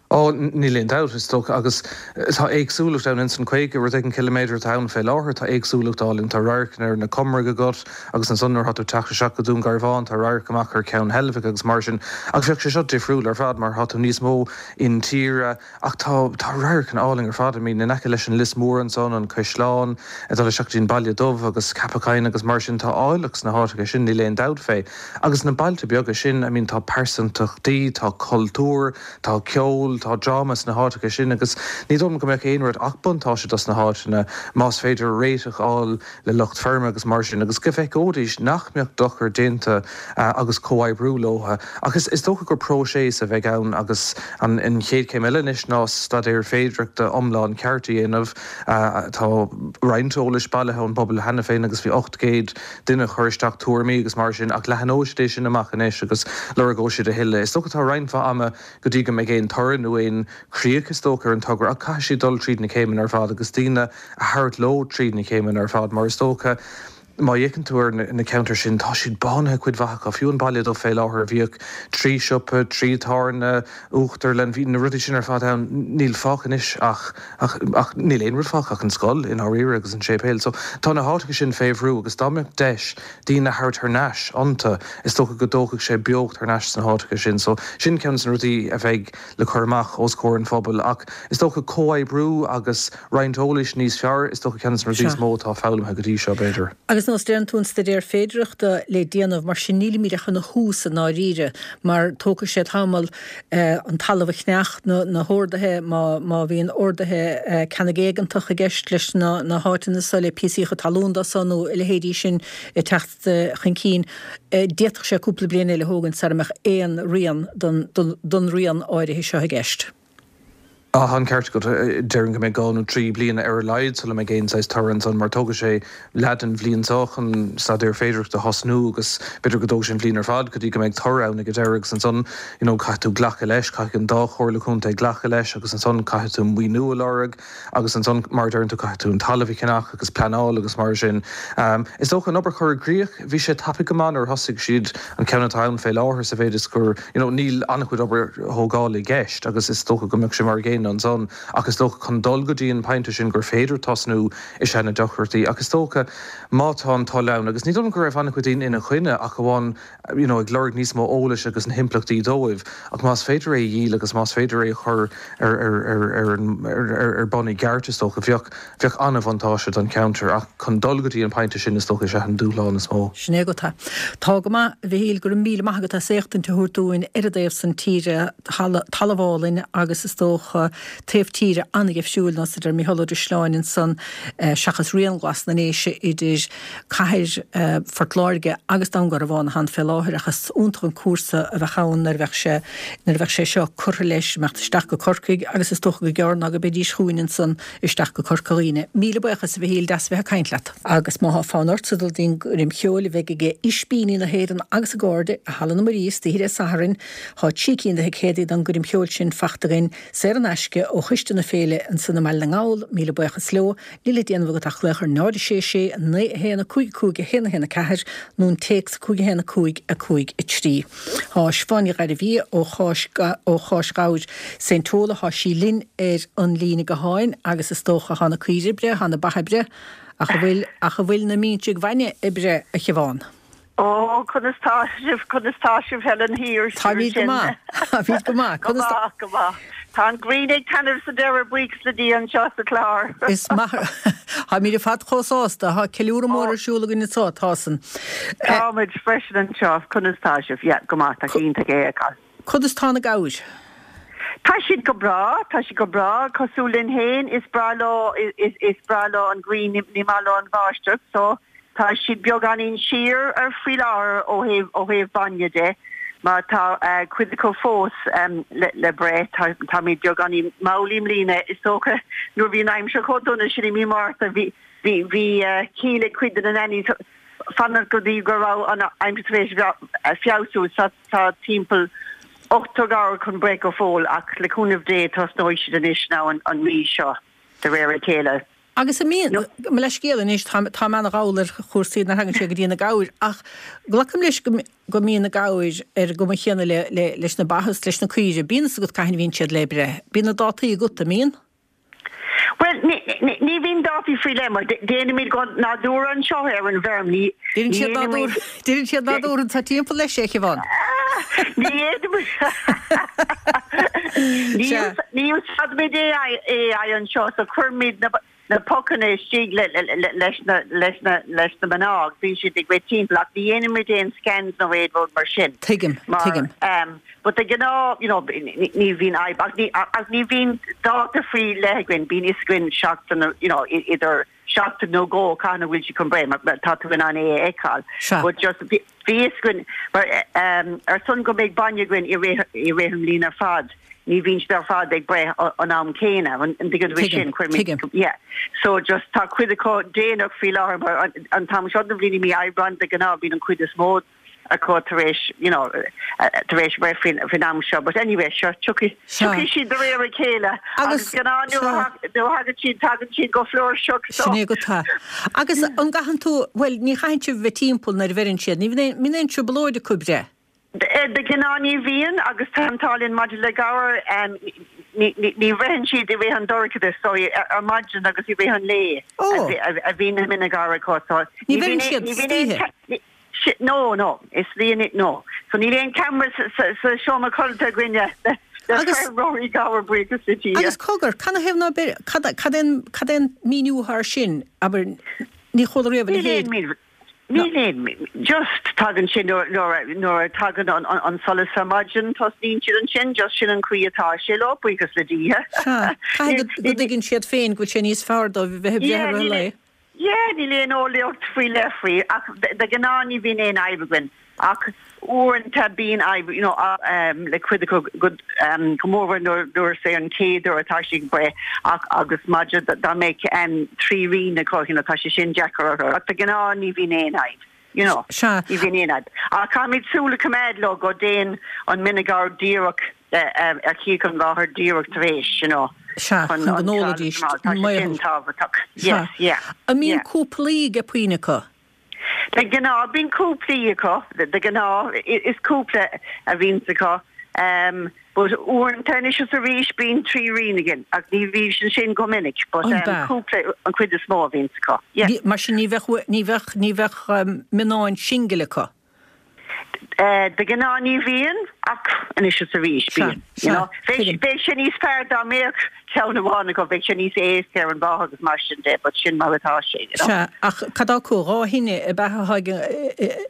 Ó, níl aon dabht, is dócha, agus tá éagsúlacht ann ins an 50 rud éigin ciliméadar atá ann fé láthair, tá éagsúlacht álainn, tá radharcanna ar na Comaraigh agat agus ansan nuair atá tú ag teacht isteach go Dún Garbhán tá radharc amach ar Cheann Heilbhic agus mar sin ach bheadh sé seo difriúil ar fad mar tá tú níos mó intíre ach tá, tá radharcanna álainn ar fad, I mean in aice leis an Lios Mór ansan, an Caisleán, ag dul isteach go dtí an Baile Dubh agus Ceapach Choinn agus mar sin, tá áilleacht sna háiteacha sin, níl aon dabht fé. Agus na bailte beaga sin, I mean tá pearsantachtaí, tá cultúr, tá ceol, tá dráma sna háiteacha sin agus ní dóigh liom go mbeadh aon rud ach buntáiste dos na háiteanna más féidir réiteach a fháil le lucht feirme agus mar sin agus go bhfeiceoidís nach mbeadh dochar déanta agus comhoibriú leo. Ach is dócha gur próiseas a bheidh ann agus an chéad chéim eile anois ná staidéar féidearthachta iomlán ceart a dhéanamh. Tá roinnt eolais bailithe ón bpobal cheana féin agus bhí 800 duine a chuir isteach tuairimí agus mar sin ach leathnóidh siad é sin amach anois agus lorgóidh siad a thuilleadh. Is dócha tá roinnt mhaith ama go dtí go mbeidh aon toradh nó aon chríoch is dócha ar an togra ach caithfidh siad dul tríd na céimeanna ar fad agus daoine a thabhairt leo tríd na céimeanna ar fad mar is dócha. Má fhéachann tú ar na ceantair sin, tá siad bánaithe, cuid mhaith acu. Fiú an Baile Dubh fé láthair, bhíodh trí siopa, trí tábhairne, uachtarlann, bhí na rudaí sin ar fad ann. Níl fágtha anois ach, ach, ach níl aon rud fágtha ach an scoil i ndáiríre agus an séipéal. So tá na háiteacha sin fé bhrú agus dá mbeadh deis daoine a thabhairt thar n-ais iontu, is dócha go dtógfadh sé beocht thar n-ais sna háiteacha sin. So sin ceann de na rudaí a bheidh le cur amach os comhair an phobail. Ach is dócha comhoibriú agus roinnt eolais níos fearr, is dócha ceann de na rudaí is mó atá foghlamtha go dtí seo, b'fhéidir. Agus nós deireann tú an staidéar féidearthachta le déanamh, mar sin nílimid ach ina thús i ndáiríre, mar tógfaidh sé tamall an talamh a cheannach, na horduithe, má bhíonn orduithe ceannaigh éigeantach i gceist leis na háiteanna so, le píosaíocha talún dó so nó a leithéidí sin ag teacht. chun cinn, d'fhéadfadh sé cúpla bliain eile a thógaint sara mbeadh aon rian don rian áirithe seo i gceist. Tá an ceart agat. Déarfainn go mbeidh dhá nó trí bliana ar a laghad sula mbeidh aon saghas toradh ansan mar tógfaidh sé leath den bhliain seo chun staidéar féidearthachta a thosnú agus b'fhéidir go dtógfaidh sé an bhliain ar fad go dtí go mbeidh toradh ann ag an deireadh agus ansan you know caithfidh tú glacadh leis, caithfidh an dá chomhairle contae glacadh leis agus ansan caithfidh tú maoiniú a lorg. Agus ansan, mar a deireann tú, caithfidh tú an talamh a cheannach agus pleanáil agus mar sin. Is dócha an obair chur i gcrích, bhí sé tapaidh go maith nuair a thosaigh siad an ceann atá ann fé láthair sa mhéid is gur, you know, níl an-chuid obair thógála i gceist agus is dócha go mbeadh sé mar a gcéanna ansan ach is dócha chun dul go dtí an pointe sin gur féidir tosnú is ea na deacrachtaí ach is dócha má tá an toil ann agus ní dóigh liom go raibh an-chuid daoine ina choinne ach amháin you know ag lorg níos mó eolais agus na himpleachtaí dóibh ach más féidir é a dhíol agus más féidir é a chur ar ar ar ar an ar ar bun i gceart is dócha bheadh bheadh an-bhuntáiste don cheantar ach chun dul go dtí an pointe sin is dócha is ea an dúshlán is mó. Sin é agat. Tá go maith, a Mhichíl, go raibh míle maith agat as éachtaint a thabhairt dúinn ar an dtaobh san tíre, talamh álainn agus is dócha taobh tíre an-gheimhriúil, nós a deir Mícheál Ó Drisleáin ansan, seachas Rian Glas na nDéise idir cathair Phort Láirge agus Dún Garbhán atá ann fé láthair ach is iontach an cúrsa a bheadh ann nuair a bheadh sé nuair a bheadh sé seo curtha leis, imeacht isteach go Corcaigh agus is dócha gur gearr ná go mbeidís chugainn ansan isteach go Corca Dhuibhne. Míle buíochas a Mhichíl, deas a bheith ag caint leat. Agus má thá fonn ortsa dul dtí'n gcoirm cheoil a bheidh ag Ispíní na hÉireann agus a gcairde i Halla na Muirí istoíche Dé Sathairn, thá trí cinn de thicéadaí don gcoirm cheoil sin fachta againn saor in aisce ó choiste na féile ansan i mBaile na nGall, míle buíochas leo. Níl le déanamh agat ach glaoch ar 0 6 6 9 1 5 5 1 1 4 nó an téacs 5 1 5 5 3. Tá Siobhán Ní Ghairbhia ó Cháis ó Cháis Ghabhair Saint Tola, thá sí linn ar an líne gutháin agus is dócha thá na caoirigh ag breith, thá na ba ag breith, ach an bhfuil ach an bhfuil na mínsigh bhainne ag breith, a Shiobhán? Ó, conas tá sibh, conas tá sibh Helen thiar Táimid go maith, táimid go maith. Go maith, go maith. Tá an ghrian ag taitneamh sa deireadh, buíochas le Dia anseo sa Chlár. Is maith, táimid ar fad chomh sásta, tá ceiliúradh mór ar siúl againn anseo, tá san. Táimid freisin anseo, conas tá sibh? Yeah, go maith, tá sé iontach é a fheiceáil. Conas tá na gabhair? Tá siad go breá, tá siad go breá, cosúil linn féin, is breá leo, is breá leo an ghrian, ní maith leo an bháisteach, so tá siad beagáinín siar ar faoi láthair ó thaobh, ó thaobh bainne de, mar tá cuid acu fós le, le breith, tá, táimid beagáinín mall i mbliana, is dócha, nuair a bhí an aimsir chomh dona sin i mí Márta, bhí, bhí, bhí ciall ag cuid de na nannies fanacht go dtí go raibh an aimsir tar éis feabhsú, so. Tá timpeall 80 gabhar chun breith go fóill ach le cúnamh Dé tosnóidh siad anois now an mhí seo de réir a chéile. Agus an mbíonn, mo leithscéal anois, tá mé ana-dhall ar chúrsaí nuair a thagann sé go dtí na gabhair ach glacaim leis go mbíonn na gabhair ar an gcuma chéanna leis na ba is leis na caoirigh. Bíonn fhios agat cathain a bhíonn siad le breith. Bíonn na dátaí agat, an mbíonn? Bhuel, ní bhíonn dátaí faoi leith mar déanaimid go nádúrtha anseo ar an bhfeirm. Ní dhéanaimid. Deireann siad nádúrtha anseo timpeall leis, a Shiobhán. Ní dhéanaimid. Ní úsáidimid AI anseo so cuirimid na pocanna istigh leis na leis na leis na mná agus bíonn siad ag rith timpeall ach ní dhéanaimid aon scans nó aon rud mar sin. Tuigim, tuigim. But de ghnáth, you know, ní bhíonn fhadhb, ach ní, ach ní bhíonn dáta faoi leith againn, bíonn fhios againn seachtain, you know, idir seachtain nó dhó cathain a bhfuil siad chun breith, mar tá tú in ann é a fheiceáil. Sea. But just, bhí fhios againn, mar ar son go mbeidh bainne againn i rith, i rith an bhliain ar fad, ní bhíonn siad ar fad ag breith an am céanna, an dtuigeann tú sin? Tuigim, tuigim. Yeah. So just tá cuid acu déanach faoi láthair, mar an t-am seo den bhliain i mí Aibreáin de ghnáth bíonn an chuid is mó. acu tar éis, you know, tar éis breith faoin, faoin am seo. But anyway, sure, tiocfaidh, tiocfaidh siad de réir a chéile agus de ghnáth nuair a nuair a thagann siad, tagann siad go flúirseach so. Sin é go tá. Agus an gcaitheann tú, bhuel, ní chaitheann sibh bheith timpeall nuair a bheireann siad, ní bhíonn aon, mbíonn aon trioblóid acu ag breith? De ghnáth ní bhíonn agus tá an t-ádh linn maidir le gabhair, ní bhreitheann siad i rith an dorchadas so ar maidin agus i rith an lae a bhíonn na mine gabhair acu so ní bheireann siad istoíche? No, no, is líon no. So níl aon camera sa seomra codlata againne le feirmeoirí gabhar buíochas le Dia. Agus cogar, canathaobh ná beir, cad é an míniú atá air sin, abair, ní chuala riamh a leithéid. Níl aon, just tagann sé nuair a tagann an solas ar maidin, tosnaíonn siad ansin, just sin an chaoi atá sé leo, buíochas le Dia. Sea, caithfidh go dtuigeann siad féin go bhfuil sé níos fearr dóibh a bheith ag breith i rith an lae. Yeah, níl aon eolaíocht faoi leith faoi, ach de ghnáth ní bhíonn aon fhadhb againn. Ach uaireanta bíonn fadhb, you know, le cuid acu go mórmhór nuair is é an chéad uair atá siad ag breith ach agus maidir dá mbeadh 3 rinn acu, you know, tá sé sin deacair orthu. Ach de ghnáth ní bhíonn aon fhadhb, you know, ní bhíonn aon fhadhb. Ach caithfimid súil a choimeád leo go dtéann an mine gabhar díreach ar chíoch an mháthair díreach tar éis, you know, Sea, chun go n-ólfaidís Tá sé sin tábhachtach. Yes, yeah. An mbíonn cúplaí de puinn acu? De ghnáth bíonn cúplaí acu, de ghnáth is cúpla a bhíonns acu but uaireanta anois is arís bíonn 3 rinn againn ach ní bhíonn sin go minic but cúpla an chuid is mó a bhíonns acu, yeah. Mar sin ní bheadh, ní bheadh, ní bheadh mionnáin singil acu? De ghnáth ní bhíonn, ach anois is arís bíonn. You know? Bheadh sé níos fearr dá mbeadh ceann amháin acu, bheadh sé níos éasca ar an mháthair agus mar sin de, but sin mar atá sé, you know? Sea, ach cad acu, 2 thine ab ea atá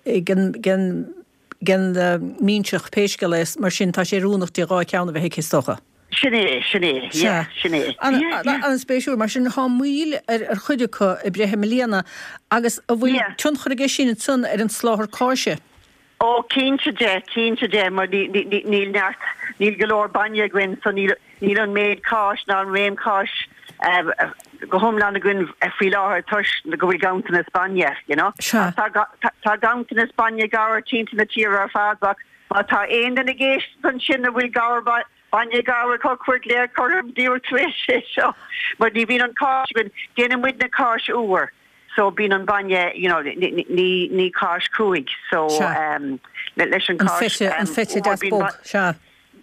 ag an minseach, pé scéal é, mar sin tá sé oiriúnach di 2 cheann a bheith aici is dócha. Sin é, sin é, yeah, sin é. Yeah, yeah. An-spéisiúil. Mar sin, tá moill ar chuid acu ag breith i mbliana agus an bhfuil tionchar aige sin ansan ar an soláthar cáise? Ó, cinnte de, cinnte de, mar níl neart, níl go leor bainne againn so níl, níl an méid cáis ná an réim cáis go hiomlán againn faoi láthair toisc go bhfuil ganntanas bainne, you know. Sea. Tá, tá ganntanas bainne gabhair timpeall na tíre ar fad ach Má tá aon duine ag éisteacht ansin a bhfuil gabhar, bainne gabhair acu, cuir glaoch orm díreach tar éis é seo mar ní bhíonn an cáis againn, déanann muid na cáis úr so bíonn an bainne you know ní ní cáis chruaidh so um leis an An feta, an feta deas bog, sea.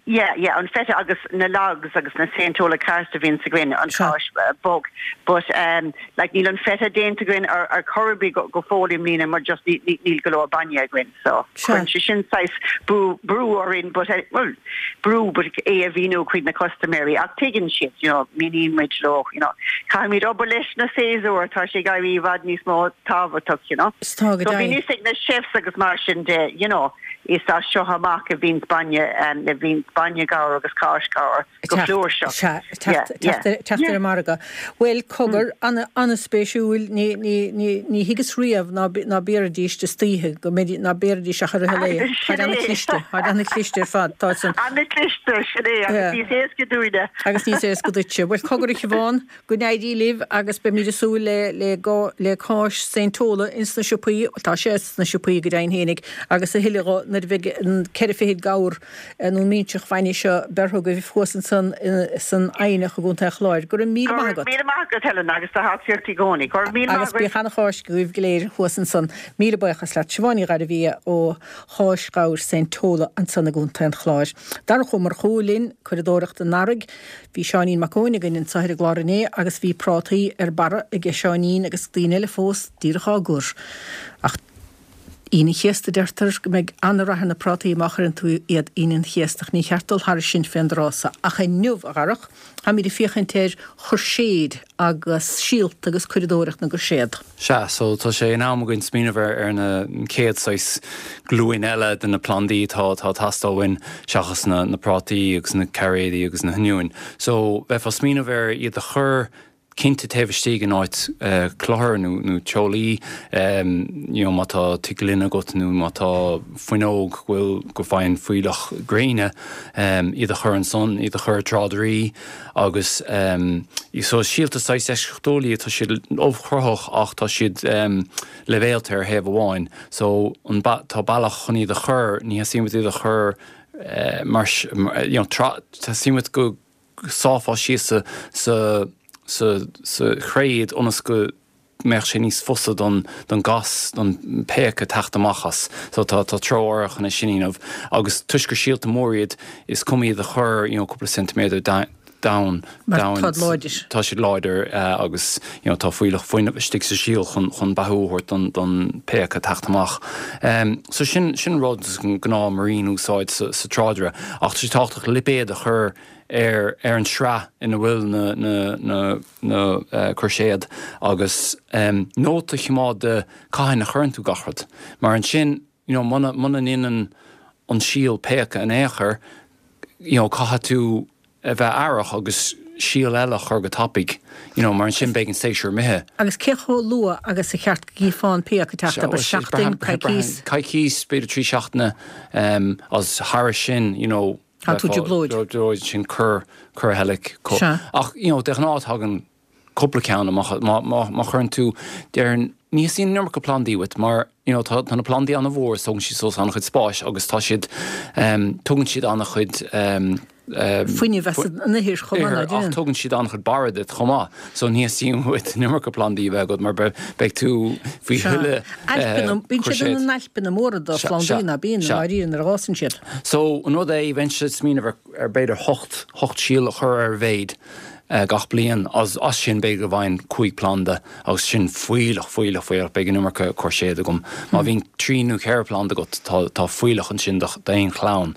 Yeah, yeah, an feta agus na logs agus na Saint Tola ceart a bhíonns againn, an cháis bog. But um like níl an feta déanta againn ar ar chor ar bith go go fóill i mbliana mar just ní ní níl go leor bainne againn. So cuireann sé sin saghas brú brú orainn but eh well brú but é a mhíniú chuig na custaiméirí ach tuigeann siad you know míníonn muid leo you know caithfimid obair leis na séasúir tá sé ag éirí i bhfad níos mó tábhachtach you know. So bíonn fhios ag na chefs agus mar sin de you know Is as seo amach a bhíonns bainne, a bhíonns bainne gabhair agus cáis gabhair go flúirseach. Sea, teacht ar an margadh. Bhuel, cogar, an-spéisiúil, ní thuigeas riamh ná béarfaidís istoíche, go mbeidís, ná béarfaidís ach i rith an lae. Táid an-chliste, táid an-chliste ar fad, táid san. An-chliste, sin é, agus níos éasca dúinne. Agus níos éasca duitse. Bhuel, cogar a Shiobhán, Go n-éirí libh agus beimid ag súil le le le cáis Saint Tola ins na siopaí, tá sé sna siopaí go deimhin fhéinig, agus a thuilleadh dho nuair a bheidh an 4 fichid gabhar nó an minseach bhainne seo beirthe agaibh thuas ansan san Eidhneach i gContae an Chláir. Go raibh míle maith agat. Go raibh míle maith agat Helen agus do thacaíocht i gcónaí. Go raibh míle maith agat. Agus bíodh ana-Cháisc agaibh go léir thuas ansan. Míle buíochas leat. Siobhán Ní Ghairbhia ó Cháis Ghabhair Saint Tola ansan i gContae an Chláir. Darach Ó Murchú linn, curadóireacht an earraigh. Bhí Seáinín Mac Eoin againn anseo ar an gclár inné agus bhí prátaí ar barra aige Seáinín agus daoine eile fós díreach á gcur. Ach Aoine an Chéasta deirtear go mbeidh an-rath ar na prátaí má chuireann tú iad Aoine an Chéasta ach ní cheart dul thairis sin fén dtráth so. Ach inniu, a Dharach, táimid ag féachaint ar chuirséid agus síolta agus curadóireacht na gcuirséad. Sea, so tá sé in am againn smaoineamh ar ar na chéad saghas glúin eile de na plandaí atá atá ag teastáil uainn seachas na na prátaí agus na cairéidí agus na hoinniúin. So bheifeá ag smaoineamh ar iad a chur. Cinnte taobh istigh in áit cluthar nó nó teolaí, you know má tá tigh gloine agat nó má tá fuinneog go bhfuil go bhfaigheann fuílleach gréine, iad a chur ansan, iad a chur i dtráidirí agus so is síolta saghas eisceachtúil iad, tá siad ubhchruthach ach tá siad leibhéalta ar thaobh amháin so an tá bealach chun iad a chur, ní theastaíonn uait iad a chur mar you know teastaíonn uait go sáfá síos sa sa sa sa chré iad ionas go mbeadh sé níos fusa don don gas don péaca teacht amach as. So tá tá treo áirithe chun é sin a dhéanamh agus toisc gur síolta mór iad is cuma iad a chur you know cúpla ceintiméadar domhain Mar domhain táid láidir. tá siad láidir agus you know tá fuílleach fuinnimh istigh sa síol chun chun beathú a thabhairt don don péaca teacht amach. So sin sin rud gnáth muirín a úsáid sa sa tráidire ach tá sé tábhachtach lipéad a chur ar ar an sraith ina bhfuil na na na na cúirséad agus nóta a choimeád de cathain a chuireann tú gach rud mar ansin you know muna muna ndéanann an síol péaca in aon chor you know caithfidh tú a bheith aireach agus síol eile a chur go tapaidh you know mar ansin beidh an séasúr imithe. Agus cé chomh luath agus a cheart go gcífeá an péac ag teacht, abair seachtain, coicís? Coicís, b'fhéidir 3 seachtaine agus thairis sin you know Tá tú i dtrioblóid. Trioblóid sin cuir cuir a thuilleadh. Sea. Ach you know de ghnáth tagann cúpla ceann amach má má má chuireann tú déarfainn ní theastaíonn an iomarca plandaí uait mar you know tá tá na plandaí an-mhór is tógann siad suas an-chuid spáis agus tá siad ehm tugann siad an-chuid ehm Fuinneamh as an ithir chomh maith, ná ach tugann siad an-chuid barra duit chomh maith. So ní theastaíonn uait an iomarca plandaí a bheith agat mar beidh tú faoi thuilleadh Ailpeanna, bíonn siad ina n-ailpeanna móra de phlandaí, ná bíonn, i ndáiríre, nuair a fhásann siad. So an rud é, bheinnse ag smaoineamh ar ar b'fhéidir hocht, hocht síol a chur ar a mhéad gach bliain agus as sin b'fhéidir go bhfaighinn cúig planda agus sin fuílleach, fuílleach, fuílleach, beidh an iomarca cúirséad agam. Má bhíonn trí nó ceithre planda agat tá tá fuílleach ansin d'aon chlann.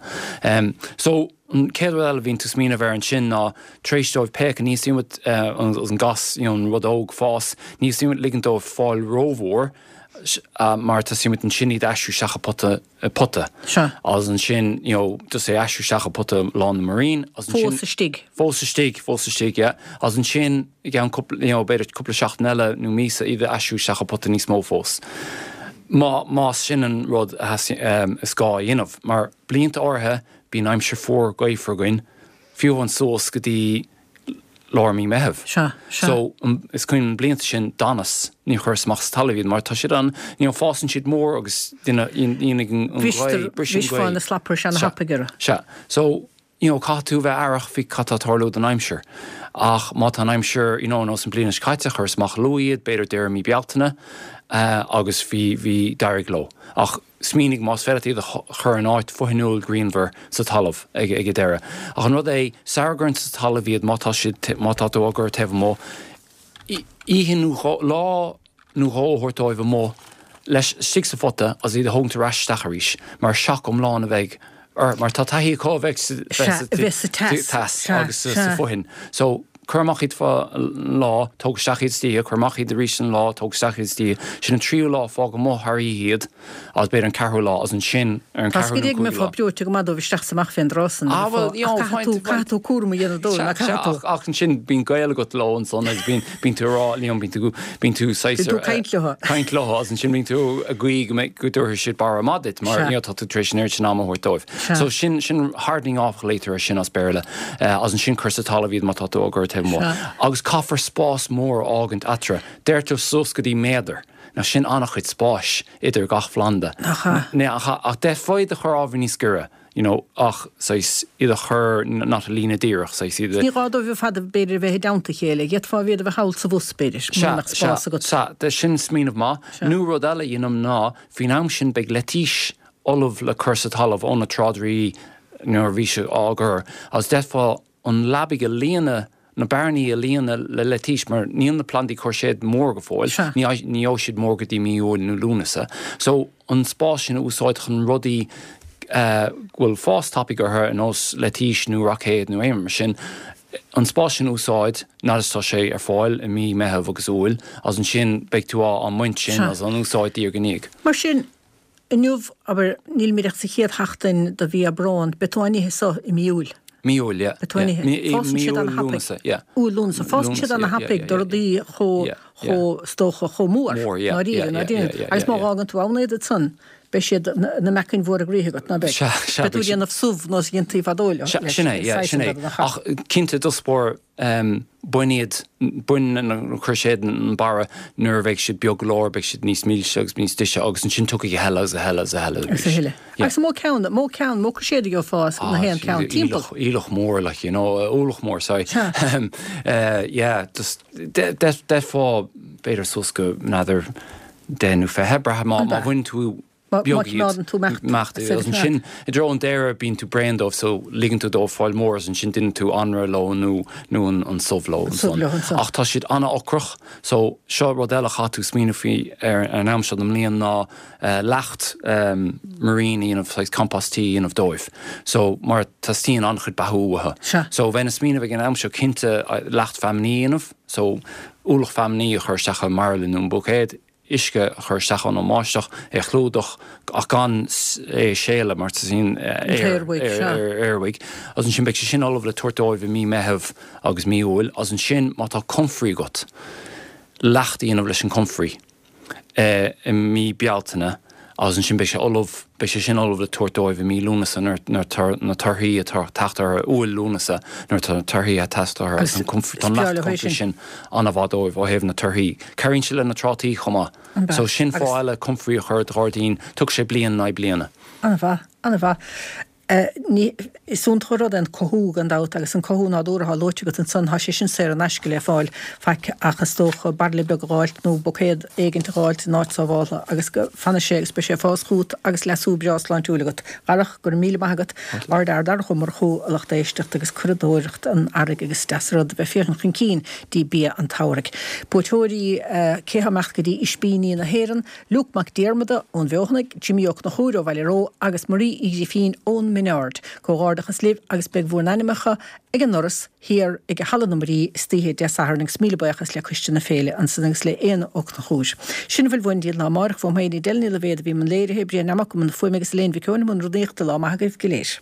So an chéad rud eile a bhíonn tú ag smaoineamh air ansin ná tar éis dóibh péacadh, ní theastaíonn uait an gas, you know, an rud óg fás, ní theastaíonn uait ligint dóibh fáil rómhór mar teastaíonn uait ansin iad a aistriú isteach i pota, i pota. Sea. Agus ansin, you know, just é a aistriú isteach i pota lán le muirín agus ansin. Fós istigh. Fós istigh, fós istigh, yeah. Agus ansin i gceann cúpla, you know, b'fhéidir cúpla seachtain eile nó míosa iad a aistriú isteach i pota níos mó fós. Má, más sin an rud a theastaíonn, is gá a dhéanamh. Mar blianta áirithe bíonn aimsir fuar gaofar againn, fiú amháin suas go dtí lár mí Meitheamh. Sea, sea. So, is cuimhin liom blianta sin, d'fhanas, níor chuireas amach sa talamh iad mar tá siad an, you know, fásann siad mór agus dhéanfaidh an ghaoth, briseann an ghaoth. Bhrisfeá na slapra ana thapaidh orthu. Sea. So, you know, caithfidh tú a bheith aireach faoi cad tá ag tarlú don aimsir. Ach má tá an aimsir, you know, nós an bliain seo caite, chuireas amach luath iad, b'fhéidir deireadh mí Bealtaine, agus bhí, bhí, d'éirigh leo. Ach Smaoinigh más féidir leat iad a chur in áit fothainiúil grianmhar sa talamh ag an deireadh. Ach an rud é, sara gcuireann tú sa talamh iad, má tá siad, má tá tú á gcur taobh amuigh, oíche nó dhó, lá nó dhó a thabhairt dóibh amuigh leis, istigh sa phota agus iad a thógaint ar ais isteach arís, mar shoc iomlán a bheidh orthu, mar tá taithí acu a bheith sa teas agus sa fhothain. So. Cuir amach iad fá lá, tóg isteach iad istoíche, cuir amach iad arís an lá, tóg isteach iad istoíche. Sin an tríú lá, fág amuigh thar oíche iad agus b'fhéidir an ceathrú lá agus ansin ar an Tá ceathrú nó cúigiú lá. breoite go maith dóibh isteach is amach fén dtráth san Ah bhuel, you know, ach caithfidh tú cúram a dhéanamh dóibh, ná caithfidh tú? Ach ansin bíonn gaol agat leo ansan agus bíonn bíonn tú ag rá, you know, bíonn tú bíonn tú saghas Bíonn tú ag caint leo. caint leo agus ansin bíonn tú ag guí go mbeidh go dtabharfaidh siad barra maith duit mar you know tá tú tar éis an oiread sin ama a thabhairt dóibh. So sin sin hardening off a ghlaotar air sin as Béarla. Agus ansin cuir sa talamh iad má tá tú á gcur taobh amuigh. Agus caithfear spás mór a fhágaint eatarthu. Deirtear suas go dtí méadar. Now sin an-chuid spáis idir gach phlanda. Nach ea? Nach ea? Ach d'fhéadfá iad a chur ábhar níos giorra, you know, ach saghas iad a chur not i líne díreach, saghas iad a. Ní gá dóibh ar fad b'fhéidir a bheith i dteannta a chéile. D'fhéadfá iad a bheith thall sa bhus b'fhéidir, mura mbeadh spás agat. Sea, sea. Sin smaoineamh maith. Nó rud eile a dhéanaim ná, faoin am sin beidh leitís ullamh le cur sa talamh ó na tráidirí nuair a bhí sé á gcur agus d'fhéadfá an leabaidh a líonadh, na bearnaí a líonadh le leitís mar níl na plandaí cúirséad mór go fóill, ní gheobhaidh siad mór go dtí mí Iúil nó Lúnasa. So an spás sin a úsáid chun rudaí go bhfuil fás tapaidh orthu ar nós leitís nó roicéad nó aon rud mar sin, an spás sin a úsáid nuair is tá sé ar fáil i mí Meitheamh agus Iúil agus ansin beidh tú á mbaint sin agus á n-úsáid diaidh ar ndiaidh. Mar sin, Inniu, abair, nílimid ach sa chéad sheachtain de mhí Aibreán, beidh tú á n-ithe so i mí Iúil. Mí Iúil, yeah. Atá in ithe. Fásann siad ana-thapaidh. Yeah. Iúil, Lúnasa. Fásann siad ana-thapaidh do rudaí chomh, chomh, is dócha, chomh mór. Mór, yeah. Ndáiríre, ndáiríre. Agus má dh'fhágann tú ann iad ansan, beidh siad ina meacain mhóra gnoithe agat, ná beidh? Sea, sea. Beidh tú ag déanamh subh nós a dhéantaí fadó leo. Sea, sin é, yeah, sin é. Ach cinnte, i dtosach báire, bain iad, bain na cruiséid, an barra, nuair a bheidh siad beag go leor, beidh siad níos milse agus níos deise agus ansin tiocfaidh a thuilleadh agus a thuilleadh agus a thuilleadh arís. Agus a thuilleadh. Agus an mó ceann, mó ceann, mó cruiséad a gheofá as na haon ceann timpeall? Aoileach mór, like, you know, ualach mór, sorry. Yeah, just, d'fhéadfá, b'fhéidir suas go, n'fheadar, 10 nó 20, braithim, má bhaineann tú beag iad, imeacht, agus ansin i dtreo an deireadh bíonn tú bréan dóibh so ligeann tú dóibh fáil mór agus ansin déanann tú anraith leo nó nó an subh leo ansan. Ach tá siad an-ocrach so seo rud eile a chaithfidh tú smaoineamh faoi ar an am seo den mbliain ná leacht marine a dhéanamh, saghas compost tea a dhéanamh dóibh. So mar teastaíonn an-chuid beathú uathu. So bheinn ag smaoineamh ag an am seo cinnte leacht feamainní a dhéanamh, so ualach feamainní a chur isteach i mbairille nó i mbuicéad, uisce a chur isteach ann ón mbáisteach, é a chlúdach ach gan é a séaladh mar teastaíonn aer uaidh. Agus ansin beidh sé sin ullamh le tabhairt dóibh i mí Meitheamh agus mí Iúil. Agus ansin má tá comfrey agat, leacht a dhéanamh leis an comfrey i mí Bealtaine agus ansin beidh sé ullamh, beidh sé sin ullamh le tabhairt dóibh i mí Lúnasa nuair atá na torthaí ag teacht orthu, Iúil, Lúnasa, nuair atá na torthaí ag teacht orthu agus tá an leacht comfrey sin an-mhaith dóibh ó thaobh na torthaí. Cabhraíonn sé le na trátaí chomh maith. So sin fáth eile comfrey a chur i do ghairdín, tógfaidh sé bliain in aghaidh bliana. An-mhaith, an-mhaith. Ní, is iontach an rud é an cothú gan dabht agus an cothú nádúrtha atá luaite agat ansan, tá sé sin saor in aisce le fáil, faic ach is dócha bairille beag a dh'fháilt nó buicéad éigint a dh'fháilt in áit sábháltha agus go fanfaidh sé agus beidh sé ag fás chugat agus leasú breá sláintiúil agat. Darach, go raibh míle maith agat. Ardfhear Darach Ó Murchú, a lucht éisteachta agus curadóireacht an earraigh agus is deas an rud a bheith féachaint chun cinn dtí bia an tsamhraidh. Buaiteoirí, cé thá imeacht go dtí Ispíní na hÉireann? Luke Mac Diarmada ón bhFeothanaigh, Jimí Ó Conchúir ó Bhaile Ró agus Marie Uí Ghrifín ón Min Ard. Comhghairdeachas libh agus beidh bhur n-ainmeacha ag an ndoras thiar ag Halla na Muirí istoíche Dé Sathairn agus míle buíochas le Coiste na Féile ansan agus le Éanna Ó Conchúir. Sin a bhfuil uainn dtí an lá amáireach. Uaim féin Edel Ní Loibhéad a bhí i mbun léirithe, Brian Nammock i mbun na fuaime agus Elaine Mhic Eoin i mbun rúnaíochta. Lá maith agaibh go léir.